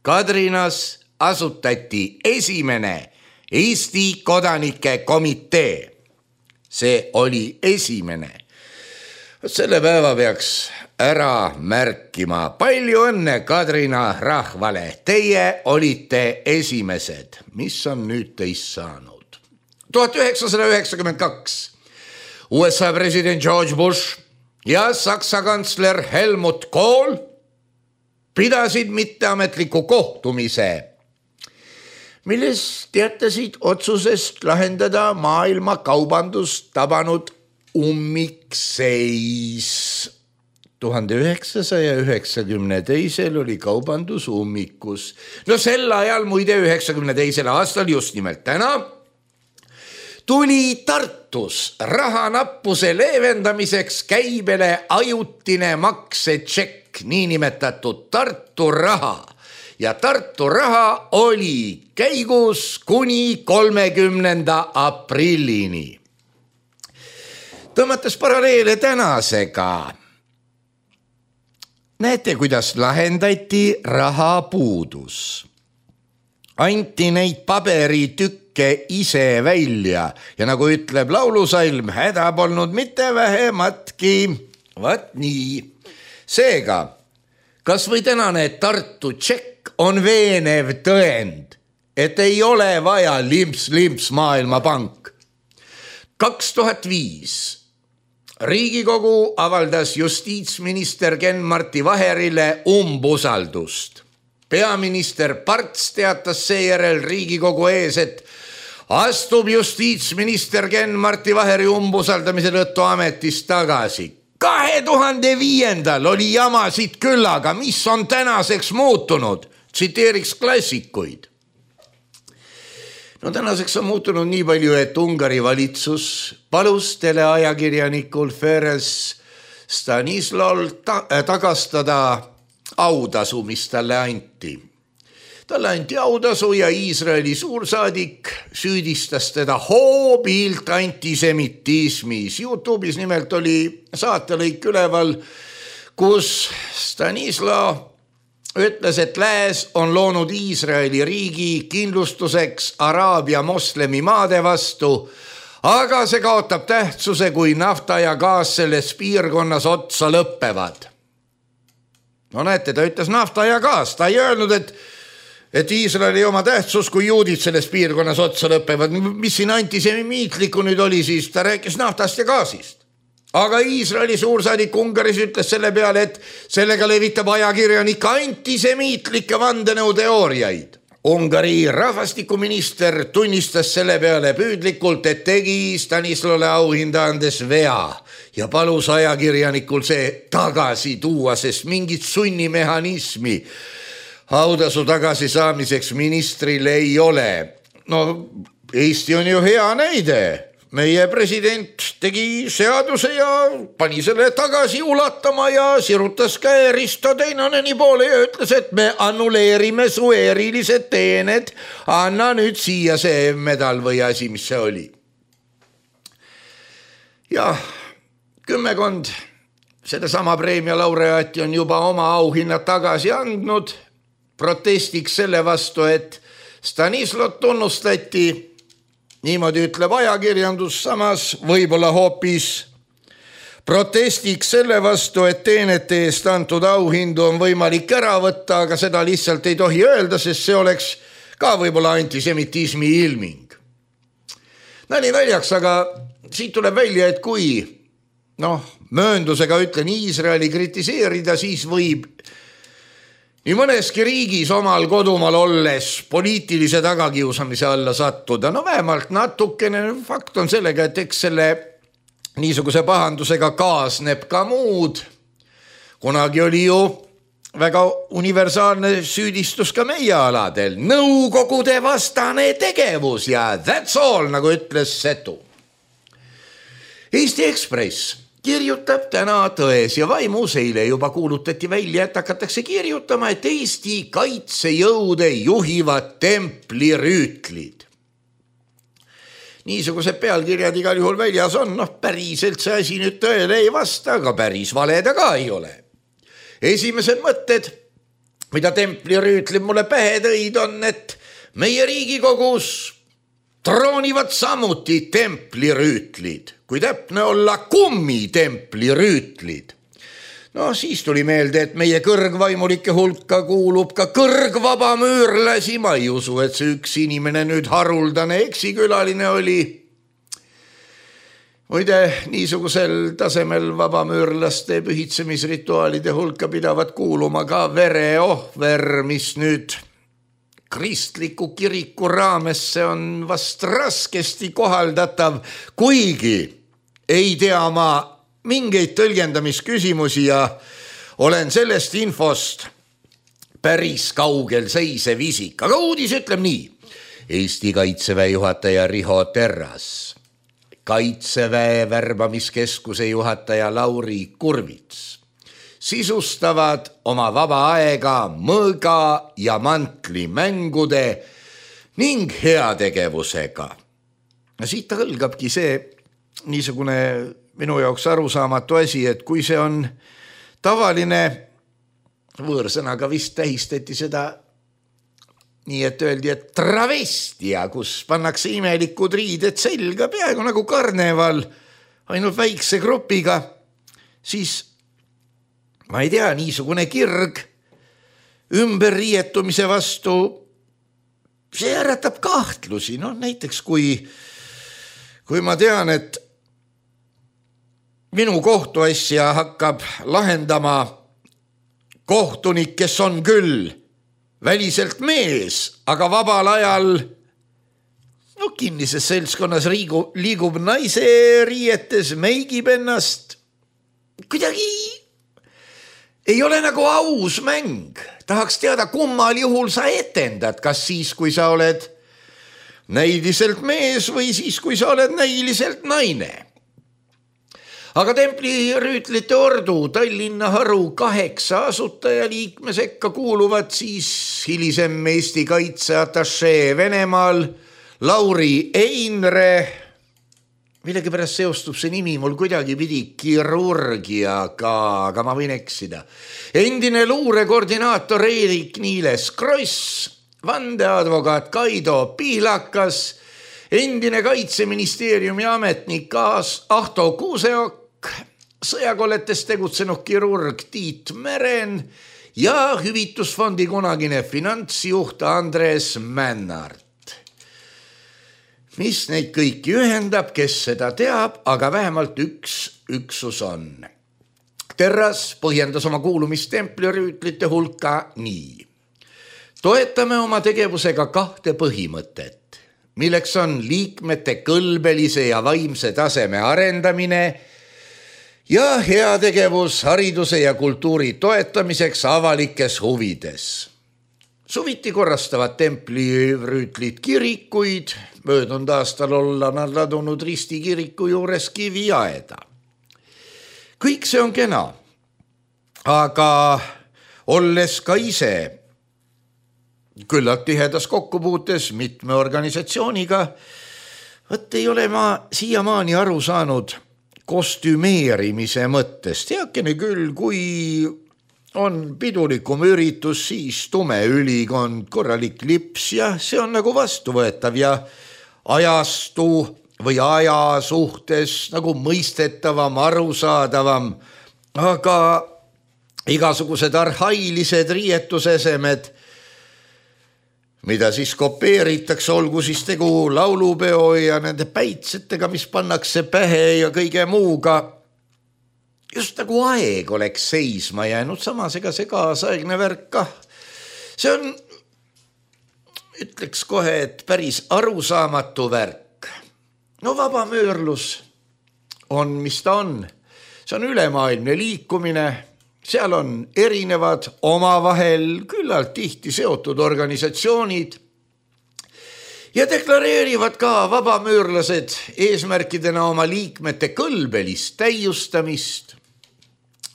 Kadrinas asutati esimene Eesti kodanike komitee. See oli esimene. Selle päeva peaks ära märkima. Palju õnne Kadrina rahvale. Teie olite esimesed. Mis on nüüd teist saanud? 1992. USA president George Bush ja Saksa kantsler Helmut Kohl pidasid mitteametliku kohtumise, milles teatasid otsusest lahendada maailma kaubandust tabanud ummikseis. 1992 oli kaubandus ummikus. No sel ajal, muide 92. aastal, just nimelt täna, tuli Tartus rahanappuse leevendamiseks käibele ajutine maksetšekk, niinimetatud Tartu raha. Ja Tartu raha oli käigus kuni 30. aprillini. Tõmmates paralleele tänasega, näete, kuidas lahendati rahapuudus. Anti neid paberitükke ise välja ja nagu ütleb laulusalm, häda polnud mitte vähematki. Vat nii. Seega, kas või tänane Tartu tšekk on veenev tõend, et ei ole vaja limps Maailmapank. 2005 Riigikogu avaldas justiitsminister Ken-Marti Vaherile umbusaldust. Peaminister Parts teatas seejärel Riigikogu ees, et astub justiitsminister Ken-Marti Vaheri umbusaldamise tõttu ametist tagasi. 2005 oli jamasid küllaga, mis on tänaseks muutunud, tsiteeriks klassikuid. No tänaseks on muutunud nii palju, et Ungari valitsus palus teleajakirjanikul Ferenc Stanislaul tagastada autasu, mis talle anti. Talle anti autasu ja Iisraeli suursaadik süüdistas teda hoobilt antisemitismis. YouTube'is nimelt oli saatelõik üleval, kus Stanislav ütles, et lääs on loonud Iisraeli riigi kindlustuseks Araabia moslemi maade vastu, aga see kaotab tähtsuse, kui nafta ja gaas selles piirkonnas otsa lõppevad. No näete, ta ütles nafta ja gaas, ta ei öelnud, et Iisraeli oma tähtsus, kui juudid selles piirkonnas otsa lõppevad. Mis siin antisemiitliku nüüd oli, siis ta rääkis naftast ja gaasist. Aga Iisraeli suursaadik Ungaris ütles selle peale, et sellega levitab ajakirjanik antisemiitlikke vandenõuteooriaid. Ungari rahvastikuminister tunnistas selle peale püüdlikult, et tegi Stanislole auhinda andes vea ja palus ajakirjanikul see tagasi tuua, sest mingit sunnimehhanismi autasu tagasi saamiseks ministril ei ole. No Eesti on ju hea näide. Meie president tegi seaduse ja pani selle tagasi ulatama ja sirutas käe Risto Teinoneni poole ja ütles, et me annuleerime su erilised teened. Anna nüüd siia see medal või asi, mis see oli. Ja kümmekond sedasama preemia laureaati on juba oma auhinnad tagasi andnud. Protestiks selle vastu, et Stanislot tunnustati, niimoodi ütleb ajakirjandus, samas võib-olla hoopis protestiks selle vastu, et teenete eest antud auhindu on võimalik ära võtta, aga seda lihtsalt ei tohi öelda, sest see oleks ka võib-olla antisemitismi ilming. Nali naljaks, aga siit tuleb välja, et kui mööndusega ütlen Iisraeli kritiseerida, siis võib nii mõneski riigis omal kodumaal olles poliitilise tagakiusamise alla sattuda. Vähemalt natukene fakt on sellega, et eks selle niisuguse pahandusega kaasneb ka muud. Kunagi oli ju väga universaalne süüdistus ka meie aladel. Nõukogude vastane tegevus ja that's all, nagu ütles Setu. Eesti Ekspress kirjutab täna Tões ja Vaimus, eile juba kuulutati välja, et hakatakse kirjutama, et Eesti kaitsejõude juhivad templirüütlid. Niisugused pealkirjad igal juhul väljas on, päriselt see asi nüüd tõele ei vasta, aga päris valeda ka ei ole. Esimesed mõtted, mida templirüütlid mulle pähe tõid, on, et meie Riigikogus troonivad samuti templirüütlid, kui täpne olla kummitemplirüütlid. Siis tuli meelde, et meie kõrgvaimulike hulka kuulub ka kõrgvabamüürlasi. Ma ei usu, et see üks inimene nüüd haruldane eksikülaline oli. Muide, niisugusel tasemel vabamüürlaste pühitsemisrituaalide hulka pidavat kuuluma ka vereohver, mis nüüd kristliku kiriku raamesse on vast raskesti kohaldatav, kuigi ei tea ma mingeid tõlgendamisküsimusi ja olen sellest infost päris kaugel seisev isik. Aga uudis ütleb nii. Eesti Kaitseväe juhataja Riho Terras, Kaitseväe värbamiskeskuse juhataja Lauri Kurvits sisustavad oma vaba aega mõõga ja mantli mängude ning heategevusega. Siit hõlgabki see niisugune minu jaoks arusaamatu asi, et kui see on tavaline, võõrsõnaga vist tähistati seda nii, et öeldi, et travestia, kus pannakse imelikud riided selga, peaaegu nagu karneval, ainult väikse grupiga, siis ma ei tea, niisugune kirg ümberriietumise vastu, see äratab kahtlusi. Näiteks kui ma tean, et minu kohtuasja hakkab lahendama kohtunik, kes on küll väliselt mees, aga vabal ajal kinnises seltskonnas liigub naise riietes, meigib ennast, kuidagi ei ole nagu aus mäng. Tahaks teada, kummal juhul sa etendad, kas siis, kui sa oled näiliselt mees või siis, kui sa oled näiliselt naine. Aga templirüütlite ordu Tallinna haru 8 asutajaliikme sekka kuuluvad siis hilisem Eesti kaitseatašee Venemaal Lauri Einre. Millegipärast seostub see nimi mul kuidagi pidi kirurgiaga, aga ma võin eksida. Endine luurekoordinaator Erik Niiles Kross, vandeadvokaat Kaido Pihlakas, endine Kaitseministeeriumi ametnik Ahto Kuuseok, sõjakolletes tegutsenud kirurg Tiit Meren ja hüvitusfondi kunagine finantsjuht Andres Männart. Mis neid kõiki ühendab, kes seda teab, aga vähemalt üks üksus on. Terras põhjendas oma kuulumist templirüütlite hulka nii. Toetame oma tegevusega 2 põhimõtet, milleks on liikmete kõlbelise ja vaimse taseme arendamine ja heategevus hariduse ja kultuuri toetamiseks avalikes huvides. Suviti korrastavad templirüütlid kirikuid, möödunud aastal olla nad ladunud Risti kiriku juures kiviaeda. Kõik see on kena, aga olles ka ise küllalt tihedas kokkupuutes mitme organisatsiooniga, ei ole ma siiamaani aru saanud kostümeerimise mõttest. Heakene küll, kui on pidulikum üritus, siis tume ülikond, korralik lips ja see on nagu vastuvõetav ja ajastu või aja suhtes nagu mõistetavam, arusaadavam, aga igasugused arhailised riietusesemed mida siis kopeeritakse, olgu siis tegu laulupeo ja nende päitsetega, mis pannakse pähe ja kõige muuga. Just nagu aeg oleks seisma jäänud, samas ega see kaasaegne värk kah. See on, ütleks kohe, et päris arusaamatu värk. No vabamöörlus on, mis ta on. See on ülemaailmne liikumine. Seal on erinevad omavahel küllalt tihti seotud organisatsioonid ja deklareerivad ka vabamöörlased eesmärkidena oma liikmete kõlbelist täiustamist,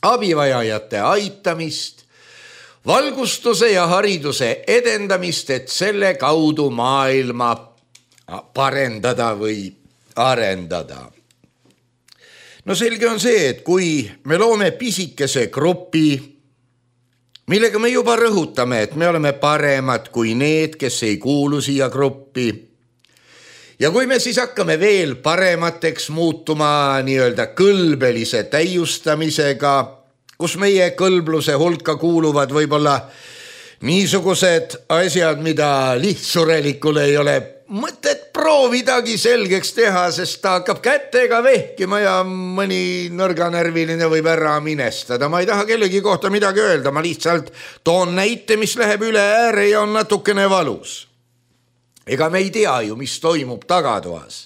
abivajajate aitamist, valgustuse ja hariduse edendamist, et selle kaudu maailma parendada või arendada. No selge on see, et kui me loome pisikese grupi, millega me juba rõhutame, et me oleme paremad kui need, kes ei kuulu siia gruppi. Ja kui me siis hakkame veel paremateks muutuma nii-öelda kõlbelise täiustamisega, kus meie kõlbluse hulka kuuluvad võib-olla niisugused asjad, mida lihtsurelikule ei ole mõtet proovidagi selgeks teha, sest ta hakkab kätega vehkima ja mõni nõrganärviline võib ära minestada. Ma ei taha kellegi kohta midagi öelda, ma lihtsalt toon näite, mis läheb üle ääre ja on natukene valus. Ega me ei tea ju, mis toimub tagatoas.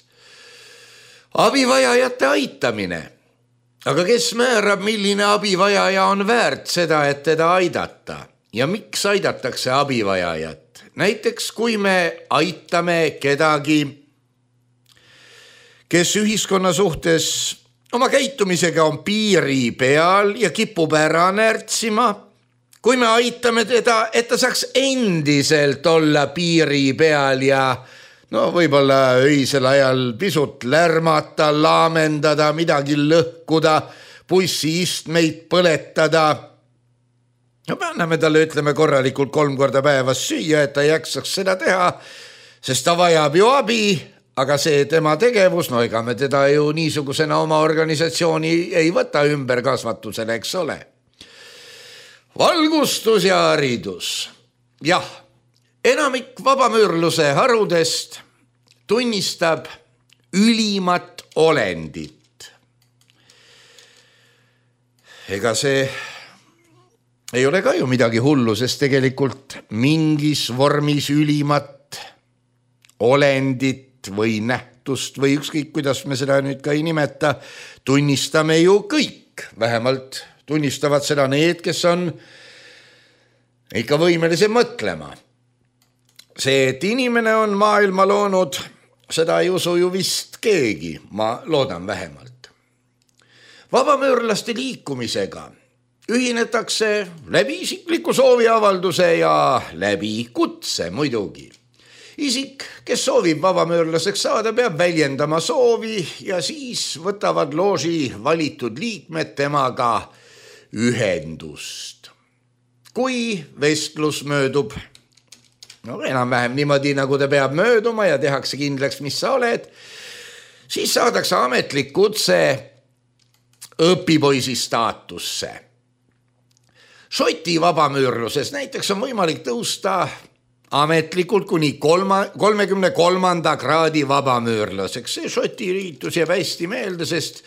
Abivajajate aitamine. Aga kes määrab, milline abivajaja on väärt seda, et teda aidata? Ja miks aidatakse abivajajat? Näiteks kui me aitame kedagi, kes ühiskonna suhtes oma käitumisega on piiri peal ja kipub ära närtsima, kui me aitame teda, et ta saaks endiselt olla piiri peal ja võib-olla öisel ajal pisut lärmata, laamendada, midagi lõhkuda, bussiistmeid põletada, me anname talle, ütleme korralikult 3 korda päevas süüa, et ta jaksaks seda teha, sest ta vajab ju abi, aga see tema tegevus, ega me teda ju niisugusena oma organisatsiooni ei võta ümberkasvatusele, eks ole. Valgustus ja haridus. Jah, enamik vabamöörluse harudest tunnistab ülimat olendit. Ega see ei ole ka ju midagi hullu, sest tegelikult mingis vormis ülimat olendit või nähtust või ükskõik, kuidas me seda nüüd ka ei nimeta, tunnistame ju kõik. Vähemalt tunnistavad seda need, kes on ikka võimelise mõtlema. See, et inimene on maailma loonud, seda ei usu ju vist keegi, ma loodan vähemalt. Vabamöörlaste liikumisega ühinetakse läbi isikliku sooviavalduse ja läbi kutse muidugi. Isik, kes soovib vabamöörlaseks saada, peab väljendama soovi ja siis võtavad looži valitud liikmed temaga ühendust. Kui vestlus möödub, enam-vähem niimoodi, nagu ta peab mööduma ja tehakse kindlaks, mis sa oled, siis saadakse ametlik kutse õpipoisi staatusse. Šoti vabamöörluses näiteks on võimalik tõusta ametlikult kuni 33. kraadi vabamöörlaseks. See Šoti riitus jääb hästi meelde, sest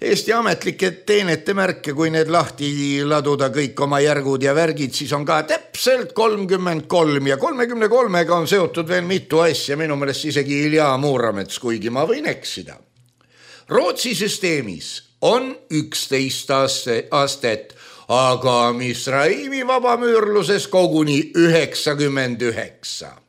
Eesti ametlike teenete märke, kui need lahti laduda kõik oma järgud ja värgid, siis on ka täpselt 33 ja 33-ga on seotud veel mitu asja, minu meelest isegi Ilja Muuramets, kuigi ma võin eksida. Rootsi süsteemis on 11 astet, aga Misraimi vabamöörluses koguni 99.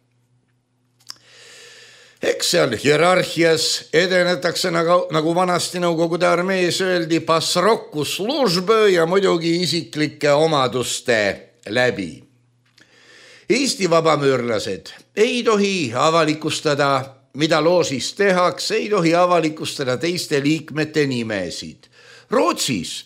Eks seal hierarhias edenetakse nagu vanasti Nõukogude armees öeldi pasroku službõ ja muidugi isiklike omaduste läbi. Eesti vabamöörlased ei tohi avalikustada, mida loožis tehakse, ei tohi avalikustada teiste liikmete nimesid. Rootsis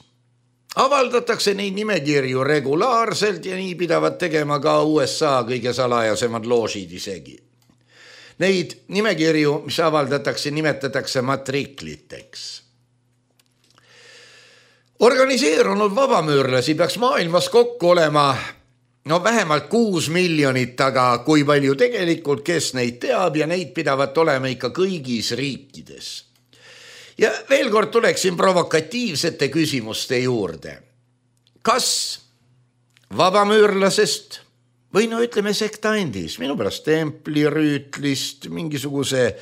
avaldatakse neid nimekirju regulaarselt ja nii pidavad tegema ka USA kõige salajasemad loožid isegi. Neid nimekirju, mis avaldatakse, nimetatakse matrikliteks. Organiseerunud vabamöörlasi peaks maailmas kokku olema no vähemalt 6 miljonit, aga kui palju tegelikult, kes neid teab ja neid pidavat olema ikka kõigis riikides. Ja veel kord tuleksin provokatiivsete küsimuste juurde. Kas vabamüürlasest või no ütleme sektandis, minu pärast templirüütlist, mingisuguse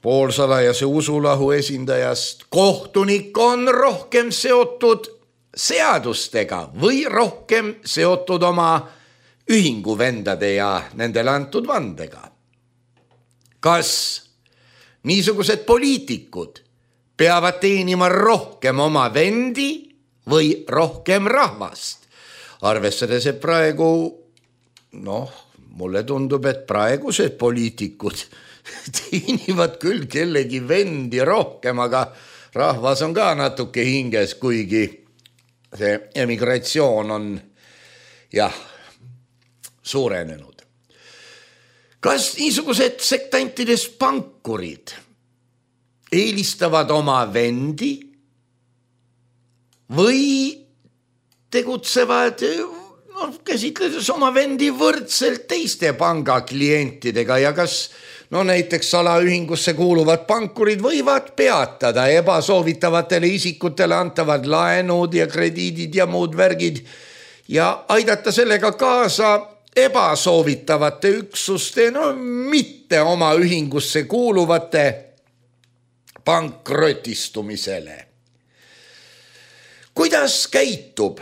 poolsalajase usulahu esindajast kohtunik on rohkem seotud seadustega või rohkem seotud oma ühinguvendade ja nendele antud vandega? Kas niisugused poliitikud peavad teenima rohkem oma vendi või rohkem rahvast? Arvestades, et praegu, mulle tundub, et praegused poliitikud teenivad küll kellegi vendi rohkem, aga rahvas on ka natuke hinges, kuigi see emigratsioon on suurenenud. Kas niisugused sektantides pankurid eelistavad oma vendi või tegutsevad käsitledes oma vendi võrdselt teiste pangaklientidega ja kas näiteks salaühingusse kuuluvad pankurid võivad peatada ebasoovitavatele isikutele antavad laenud ja krediidid ja muud värgid ja aidata sellega kaasa ebasoovitavate üksuste, mitte oma ühingusse kuuluvate pankrotistumisele. Kuidas käitub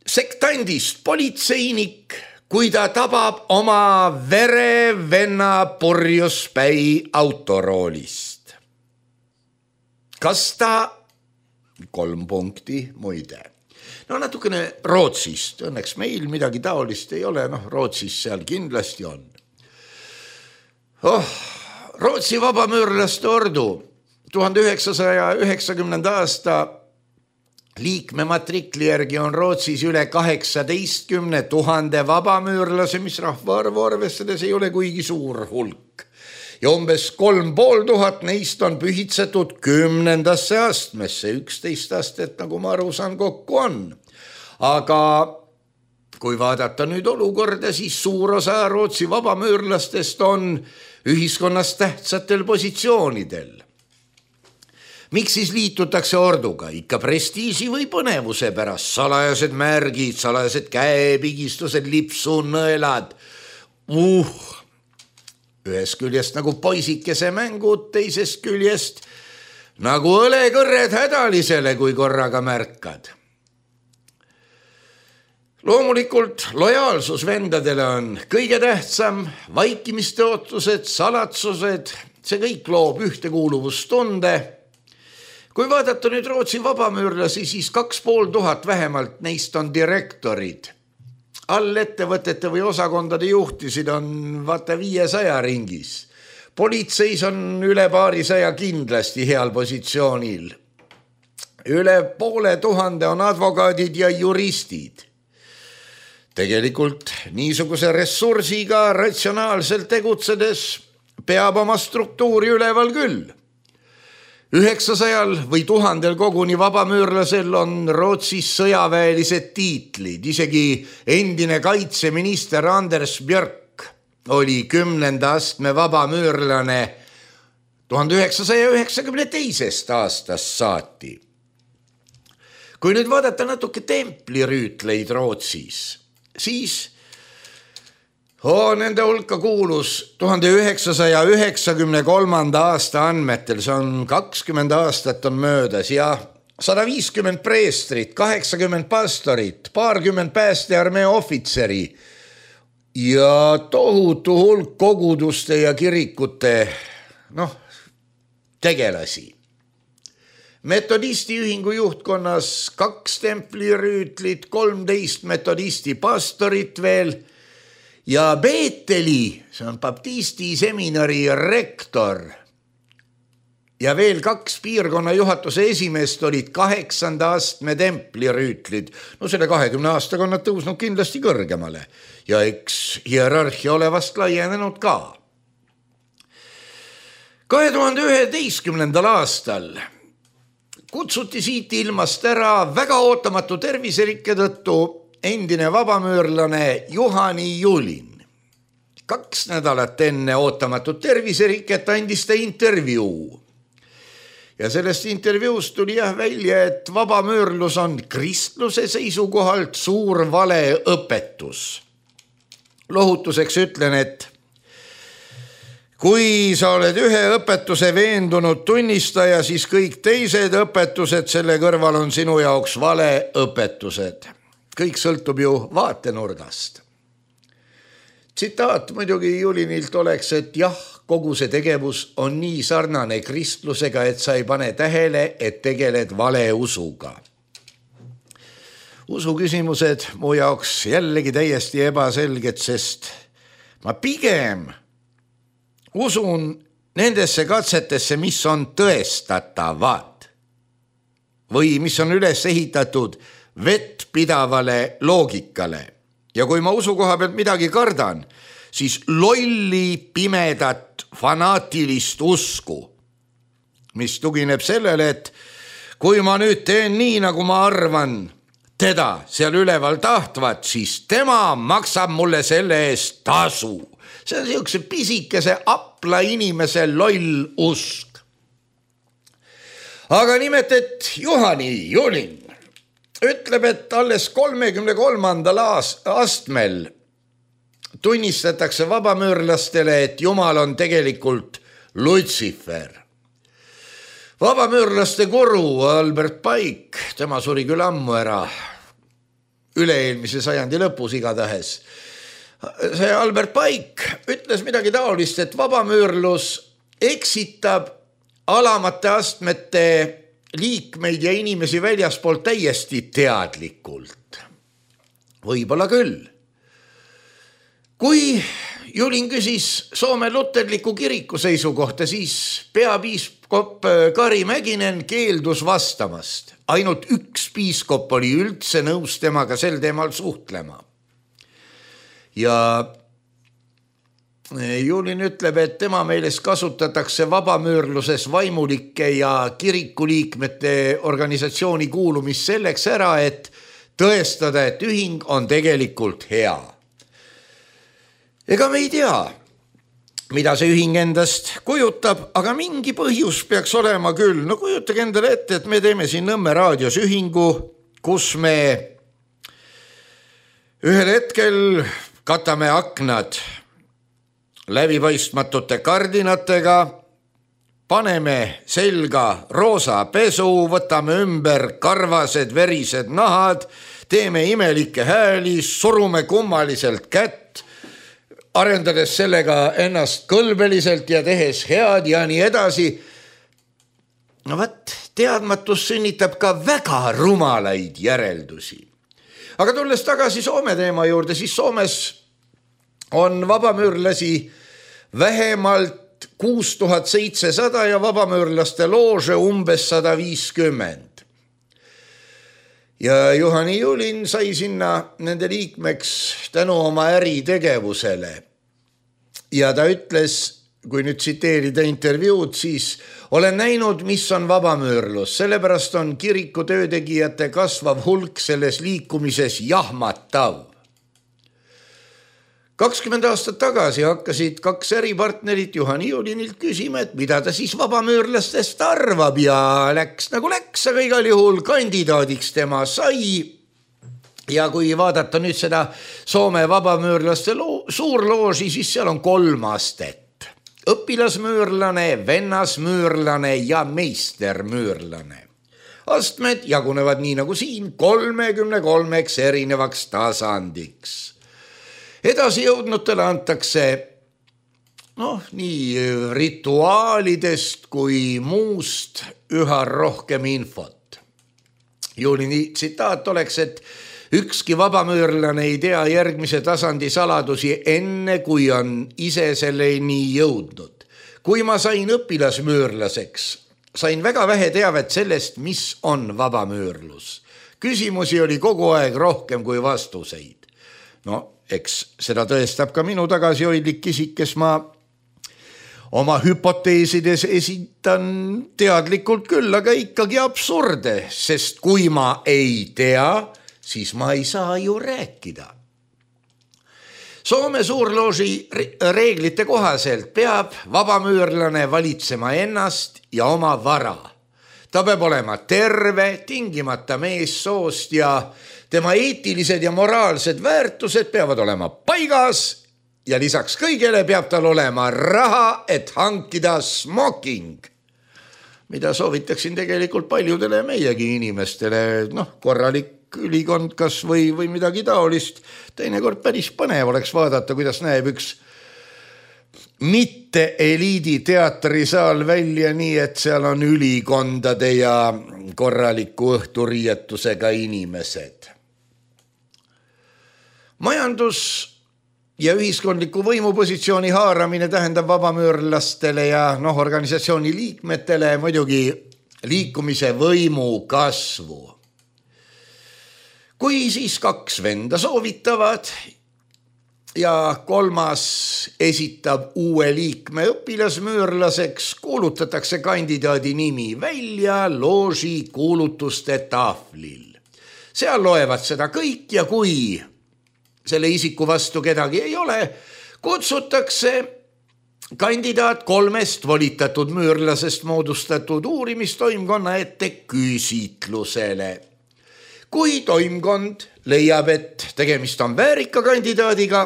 sektandist politseinik, kui ta tabab oma verevenna purjuspäi autoroolist? Kas ta, 3 punkti muide. Natukene Rootsist, õnneks meil midagi taolist ei ole, Rootsis seal kindlasti on. Rootsi vabamüürlaste ordu 1990. aasta liikme matrikli järgi on Rootsis üle 18 000 vabamüürlase, mis rahvaarvu arvestades ei ole kuigi suur hulk. Ja umbes 3500 neist on pühitsetud 10. astmesse, 11 astet, nagu ma aru saan, kokku on. Aga kui vaadata nüüd olukorda, siis suur osa Rootsi vabamüürlastest on ühiskonnas tähtsatel positsioonidel. Miks siis liitutakse orduga? Ikka prestiisi või põnevuse pärast, salajased märgid, salajased käepigistused, lipsunõelad. Ühest küljest nagu poisikese mängud, teisest küljest nagu õlekõrred hädalisele, kui korraga märkad. Loomulikult lojaalsus vendadele on kõige tähtsam, vaikimiste ootused, salatsused, see kõik loob ühtekuuluvustunde. Kui vaadata nüüd Rootsi vabamüürlasi, siis 2500 vähemalt neist on direktorid. All ettevõtete või osakondade juhtisid on 500 ringis. Politseis on üle 200 kindlasti heal positsioonil. Üle 500 on advokaadid ja juristid. Tegelikult niisuguse ressursiga ratsionaalselt tegutsedes peab oma struktuuri üleval küll. 900 või 1000 koguni vabamüürlasel on Rootsis sõjaväelised tiitlid. Isegi endine kaitseminister Anders Björk oli 10. astme vabamüürlane 1992. aastast saati. Kui nüüd vaadata natuke templirüütleid Rootsis, siis nende hulka kuulus 1993. aasta andmetel, see on 20 aastat on möödas ja 150 preestrit, 80 pastorit, 20 päästearmee ohvitseri ja tohutu hulk koguduste ja kirikute tegelasi. Metodisti ühingu juhtkonnas 2 templirüütlit, 13 metodisti pastorit veel ja Beeteli, see on baptisti seminari rektor ja veel 2 piirkonna juhatuse esimeest olid 8. astme templirüütlid. Selle 20 aastaga on nad tõusnud kindlasti kõrgemale ja eks hierarhia ole vast laienenud ka. 2011. aastal kutsuti siit ilmast ära väga ootamatu terviserikke tõttu endine vabamüürlane Juhani Julin. 2 nädalat enne ootamatut terviseriket andis ta intervjuu. Ja sellest intervjuust tuli välja, et vabamüürlus on kristluse seisukohalt suur valeõpetus. Lohutuseks ütlen, et kui sa oled ühe õpetuse veendunud tunnistaja, siis kõik teised õpetused selle kõrval on sinu jaoks valeõpetused. Kõik sõltub ju vaatenurgast. Tsitaat muidugi Julinilt oleks, et jah, kogu see tegevus on nii sarnane kristlusega, et sa ei pane tähele, et tegeled valeusuga. Usuküsimused mu jaoks jällegi täiesti ebaselged, sest ma pigem usun nendesse katsetesse, mis on tõestatavad või mis on üles ehitatud vettpidavale loogikale. Ja kui ma usu koha pealt midagi kardan, siis lolli, pimedat, fanaatilist usku, mis tugineb sellele, et kui ma nüüd teen nii, nagu ma arvan, teda seal üleval tahtvat, siis tema maksab mulle selle eest tasu. See on niisuguse pisikese apla inimese loll usk. Aga nimelt, et Juhani Julin ütleb, et alles 33. astmel tunnistatakse vabamüürlastele, et Jumal on tegelikult Lutsifer. Vabamüürlaste guru Albert Pike, tema suri küll ammu ära, üle-eelmise sajandi lõpus igatahes. See Albert Pike ütles midagi taolist, et vabamüürlus eksitab alamate astmete liikmeid ja inimesi väljaspoolt täiesti teadlikult. Võib-olla küll. Kui Julin küsis Soome luterliku kiriku seisukohta, siis peapiiskop Kari Mäkinen keeldus vastamast. Ainult üks piiskop oli üldse nõus temaga sel teemal suhtlema. Ja Julin ütleb, et tema meelest kasutatakse vabamüürluses vaimulike ja kirikuliikmete organisatsiooni kuulumist selleks ära, et tõestada, et ühing on tegelikult hea. Ega me ei tea, mida see ühing endast kujutab, aga mingi põhjus peaks olema küll. No kujutage endale ette, et me teeme siin Nõmme raadios ühingu, kus me ühel hetkel katame aknad läbipaistmatute kardinatega, paneme selga roosa pesu, võtame ümber karvased verised nahad, teeme imelikke hääli, surume kummaliselt kätt, arendades sellega ennast kõlbeliselt ja tehes head ja nii edasi. No võt, teadmatus sünnitab ka väga rumalaid järeldusi. Aga tulles tagasi Soome teema juurde, siis Soomes on vabamüürlasi vähemalt 6700 ja vabamüürlaste loože umbes 150. Ja Juhani Julin sai sinna nende liikmeks tänu oma äritegevusele. Ja ta ütles, kui nüüd tsiteerida intervjuud, siis olen näinud, mis on vabamüürlus. Sellepärast on kiriku töötegijate kasvav hulk selles liikumises jahmatav. 20 aastat tagasi hakkasid 2 äripartnerit Juhani Julinilt küsima, et mida ta siis vabamüürlastest arvab ja läks nagu läks, aga igal juhul kandidaadiks tema sai. Ja kui vaadata nüüd seda Soome vabamüürlaste suurlooži, siis seal on 3 astet. Õpilasmüürlane, vennasmüürlane ja meistermüürlane. Astmed jagunevad nii nagu siin 33 erinevaks tasandiks. Edasi jõudnutele antakse nii rituaalidest kui muust üha rohkem infot. Julini tsitaat oleks, et ükski vabamüürlane ei tea järgmise tasandi saladusi enne, kui on ise selleni jõudnud. Kui ma sain õpilasmüürlaseks, sain väga vähe teavet sellest, mis on vabamüürlus. Küsimusi oli kogu aeg rohkem kui vastuseid. Eks seda tõestab ka minu tagasihoidlik isik, kes ma oma hüpoteesides esitan teadlikult küll, aga ikkagi absurde, sest kui ma ei tea, siis ma ei saa ju rääkida. Soome suurlooži reeglite kohaselt peab vabamüürlane valitsema ennast ja oma vara. Ta peab olema terve, tingimata meessoost ja tema eetilised ja moraalsed väärtused peavad olema paigas ja lisaks kõigele peab tal olema raha, et hankida smoking, mida soovitaksin tegelikult paljudele meiegi inimestele, korralik ülikond kas või midagi taolist. Teinekord päris põnev oleks vaadata, kuidas näeb üks mitte eliidi teatrisaal välja nii, et seal on ülikondade ja korraliku õhturiietusega inimesed. Majandus ja ühiskondliku võimupositsiooni haaramine tähendab vabamüürlastele ja organisatsiooni liikmetele muidugi liikumise võimu kasvu. Kui siis 2 venda soovitavad ja 3. esitab uue liikme õpilasmüürlaseks, kuulutatakse kandidaadi nimi välja looži kuulutuste tahvlil. Seal loevad seda kõik ja kui selle isiku vastu kedagi ei ole, kutsutakse kandidaat 3 volitatud müürlasest moodustatud uurimistoimkonna ette küsitlusele. Kui toimkond leiab, et tegemist on väärika kandidaadiga,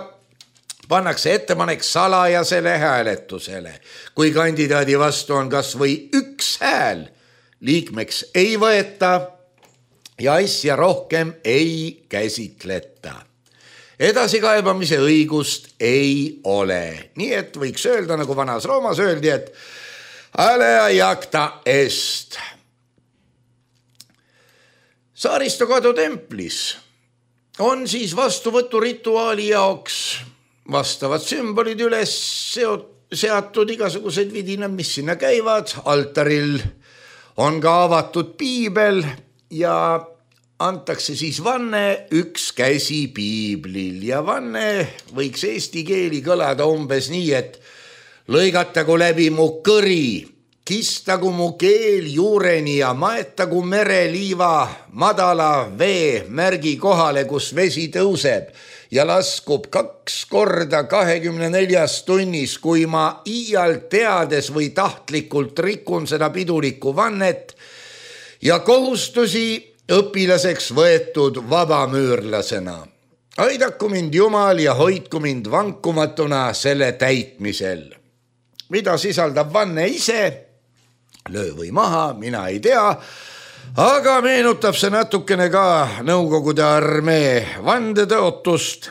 pannakse ettepanek salajasele hääletusele. Kui kandidaadi vastu on kas või 1 hääl, liikmeks ei võeta ja asja rohkem ei käsitleta. Edasikaebamise õigust ei ole. Nii et võiks öelda, nagu vanas Roomas öeldi, et alea jacta est. Saaristokadu templis on siis vastuvõturituaali jaoks vastavad sümbolid üles seatud, igasugused vidinad, mis sinna käivad. Altaril on ka avatud piibel ja antakse siis vanne 1 käsi piiblil. Ja vanne võiks eesti keeli kõlada umbes nii, et lõigatagu läbi mu kõri, kistagu mu keel juureni ja maetagu mereliiva madala vee märgi kohale, kus vesi tõuseb ja laskub 2 korda 24 tunnis, kui ma iial teades või tahtlikult rikun seda pidulikku vannet ja kohustusi õpilaseks võetud vabamüürlasena. Aidaku mind Jumal ja hoidku mind vankumatuna selle täitmisel. Mida sisaldab vanne ise? Löö või maha, mina ei tea, aga meenutab see natukene ka Nõukogude armee vandetõotust,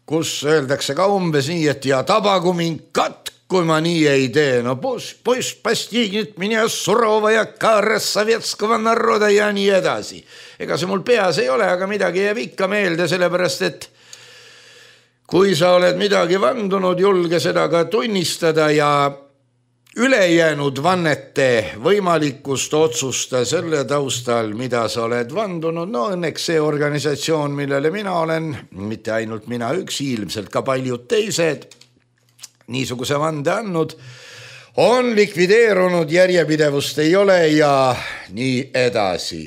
kus öeldakse ka umbes nii, et ja tabagu mind katk, kui ma nii ei tee. No poiss pastignit minja surovaja kaaras sovetskava naroda ja nii edasi. Ega see mul peas ei ole, aga midagi jääb ikka meelde, sellepärast et kui sa oled midagi vandunud, julge seda ka tunnistada ja ülejäänud vannete võimalikkust otsusta selle taustal, mida sa oled vandunud. No õnneks see organisatsioon, millele mina olen, mitte ainult mina üksi, ilmselt ka paljud teised, niisuguse vande andnud, on likvideerunud, järjepidevust ei ole ja nii edasi.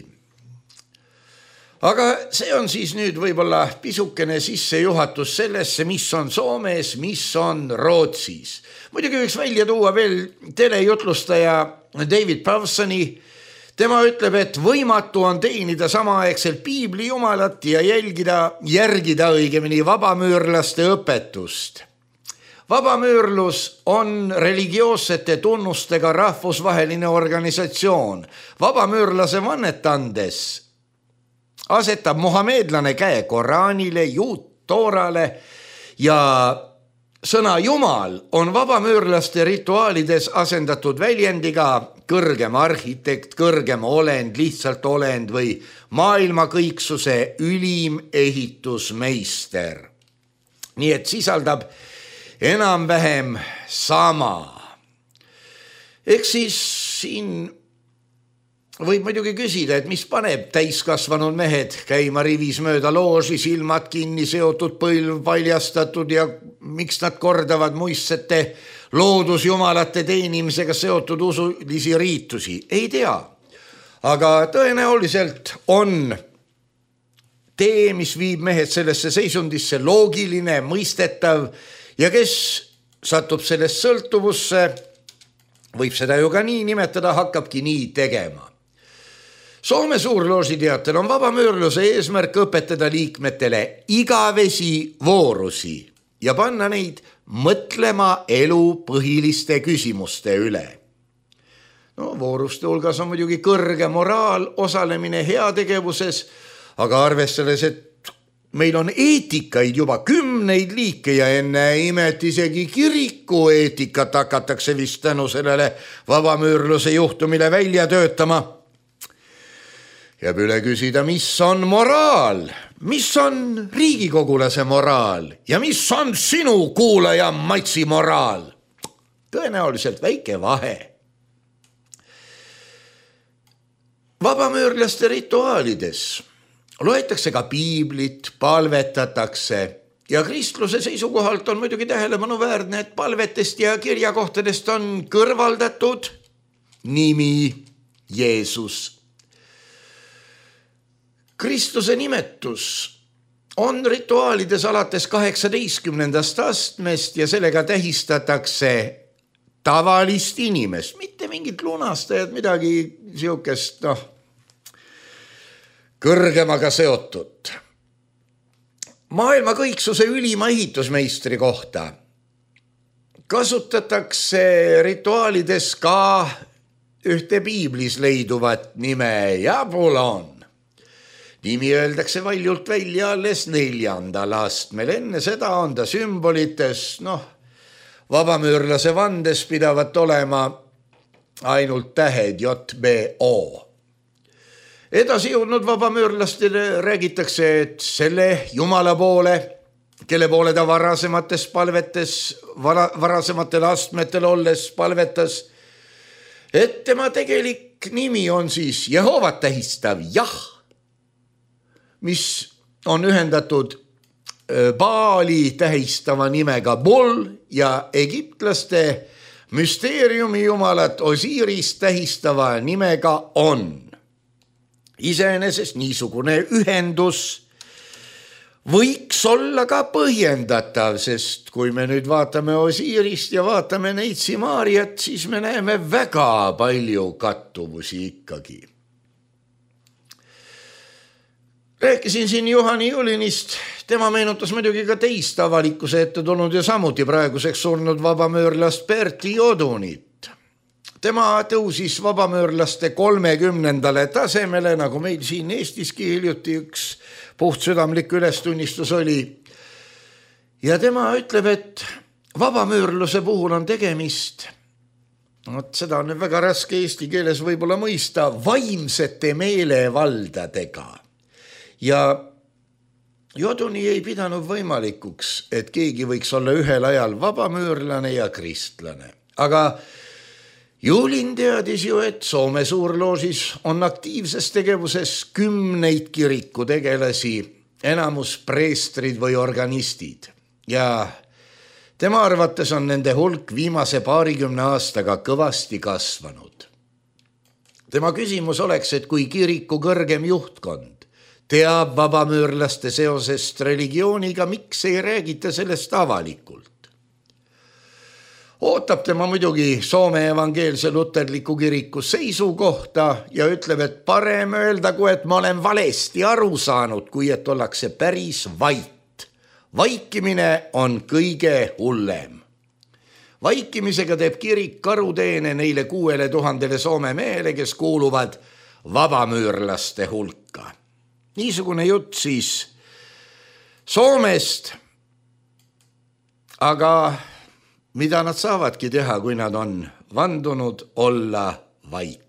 Aga see on siis nüüd võib-olla pisukene sissejuhatus sellesse, mis on Soomes, mis on Rootsis. Muidugi võiks välja tuua veel telejutlustaja David Pawsoni. Tema ütleb, et võimatu on teenida samaaegselt piibli jumalat ja järgida õigemini vabamüürlaste õpetust. Vabamüürlus on religioossete tunnustega rahvusvaheline organisatsioon. Vabamüürlase vannet andes asetab muhameedlane käe Koraanile, juut Toorale ja sõna Jumal on vabamüürlaste rituaalides asendatud väljendiga kõrgem arhitekt, kõrgem olend, lihtsalt olend või maailma kõiksuse ülim ehitusmeister. Nii et sisaldab enam-vähem sama. Eks siis siin võib muidugi küsida, et mis paneb täiskasvanud mehed käima rivis mööda looži, silmad kinni, seotud põlv paljastatud ja miks nad kordavad muistsete loodusjumalate teenimisega seotud usulisi riitusi? Ei tea. Aga tõenäoliselt on tee, mis viib mehed sellesse seisundisse, loogiline, mõistetav ja kes satub sellest sõltuvusse, võib seda ju ka nii nimetada, hakkabki nii tegema. Soome suurloosi teatel on vabamüürluse eesmärk õpetada liikmetele igavesi voorusi ja panna neid mõtlema elu põhiliste küsimuste üle. No, vooruste hulgas on muidugi kõrge moraal, osalemine heategevuses, aga arvestades, et meil on eetikaid juba 10 liike ja enne imet isegi kiriku eetikat hakatakse vist tänu sellele vabamüürluse juhtumile välja töötama. Jääb üle küsida, mis on moraal, mis on riigikogulase moraal ja mis on sinu kuulaja matsi moraal. Tõenäoliselt väike vahe. Vabamüürlaste rituaalides loetakse ka piiblit, palvetatakse ja kristluse seisukohalt on muidugi tähelepanuväärne, et palvetest ja kirjakohtadest on kõrvaldatud nimi Jeesus. Kristluse nimetus on rituaalides alates 18. astmest ja sellega tähistatakse tavalist inimest, mitte mingit lunastajat, midagi siukest, kõrgemaga seotud. Maailma kõiksuse ülima ehitusmeistri kohta kasutatakse rituaalides ka ühte piiblis leiduvat nime Jabulon. Nimi öeldakse valjult välja alles 4. astmel. Enne seda on ta sümbolites, vabamüürlase vandes pidavat olema ainult tähed JBO. Edasi jõudnud vabamüürlastele räägitakse, et selle Jumala poole, kelle poole ta varasematel astmetel olles palvetas, et tema tegelik nimi on siis Jehovat tähistav Jah, mis on ühendatud Baali tähistava nimega Bul ja egiptlaste müsteeriumi jumalat Osiris tähistava nimega On. Iseenesest niisugune ühendus võiks olla ka põhjendatav, sest kui me nüüd vaatame Osirist ja vaatame Neitsi Maariat, siis me näeme väga palju kattuvusi ikkagi. Rääkisin siin Juhani Julinist, tema meenutas muidugi ka teist avalikkuse ette tulnud ja samuti praeguseks surnud vabamüürlast Berti Jodunit. Tema tõusis vabamüürlaste 30. tasemele, nagu meil siin Eestiski hiljuti üks puhtsüdamlik ülestunnistus oli. Ja tema ütleb, et vabamüürluse puhul on tegemist, seda on väga raske eesti keeles võib-olla mõista, vaimsete meelevaldadega. Ja Joduni ei pidanud võimalikuks, et keegi võiks olla ühel ajal vabamüürlane ja kristlane. Aga Julin teadis ju, et Soome suurloosis on aktiivses tegevuses 10 kirikutegelasi, enamus preestrid või organistid. Ja tema arvates on nende hulk viimase 20 aastaga kõvasti kasvanud. Tema küsimus oleks, et kui kiriku kõrgem juhtkond teab vabamüürlaste seosest religiooniga, miks ei räägita sellest avalikult? Ootab tema muidugi Soome evangeelse luterliku kiriku seisukohta ja ütleb, et parem öeldagu, et ma olen valesti aru saanud, kui et ollakse päris vait. Vaikimine on kõige hullem. Vaikimisega teeb kirik karuteene neile 6000 Soome mehele, kes kuuluvad vabamüürlaste hulka. Niisugune jutt siis Soomest, aga mida nad saavadki teha, kui nad on vandunud olla vait?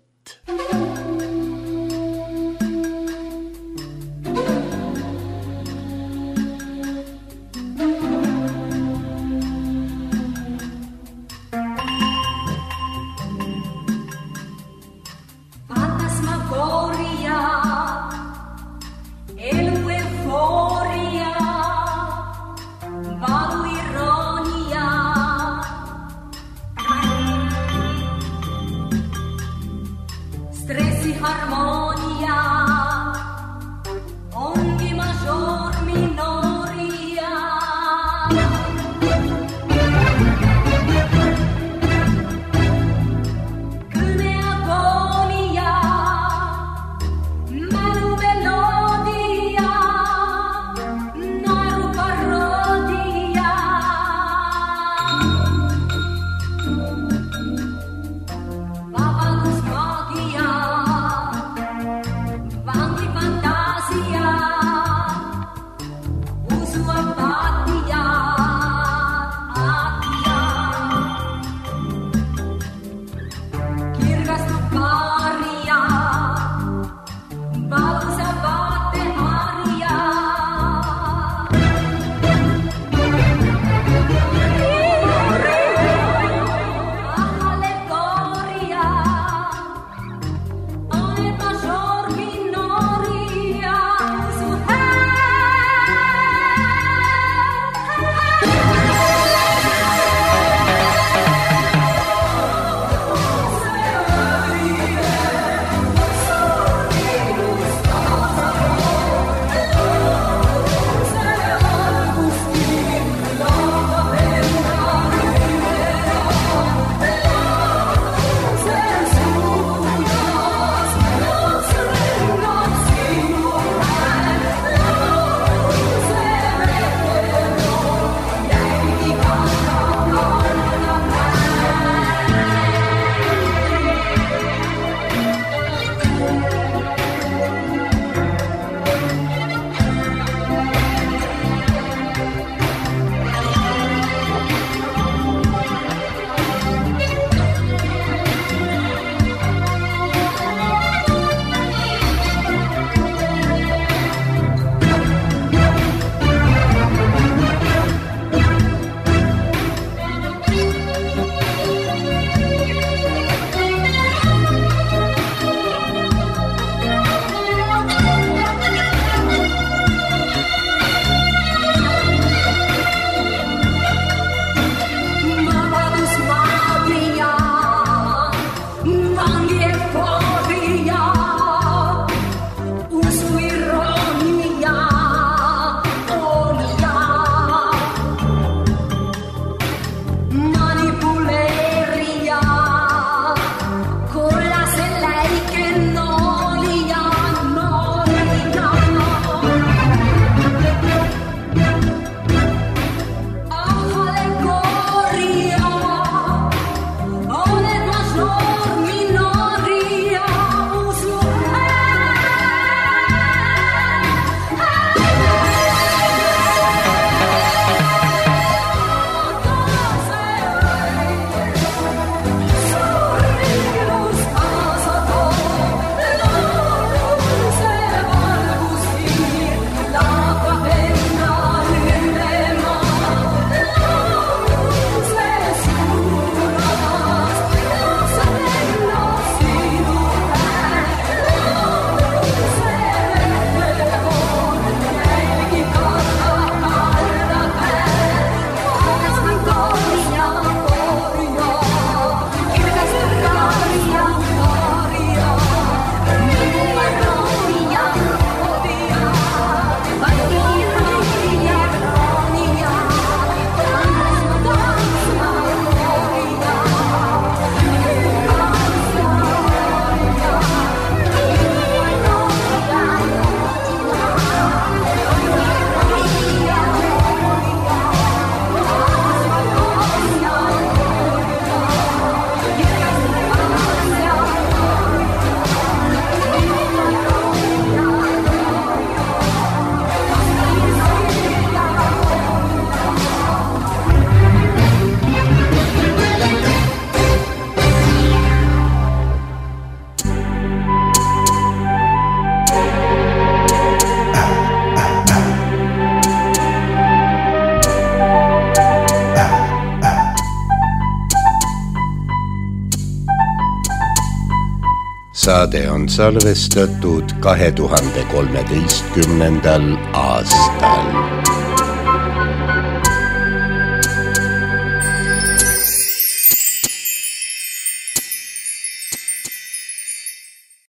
saade on salvestatud 2013. aastal.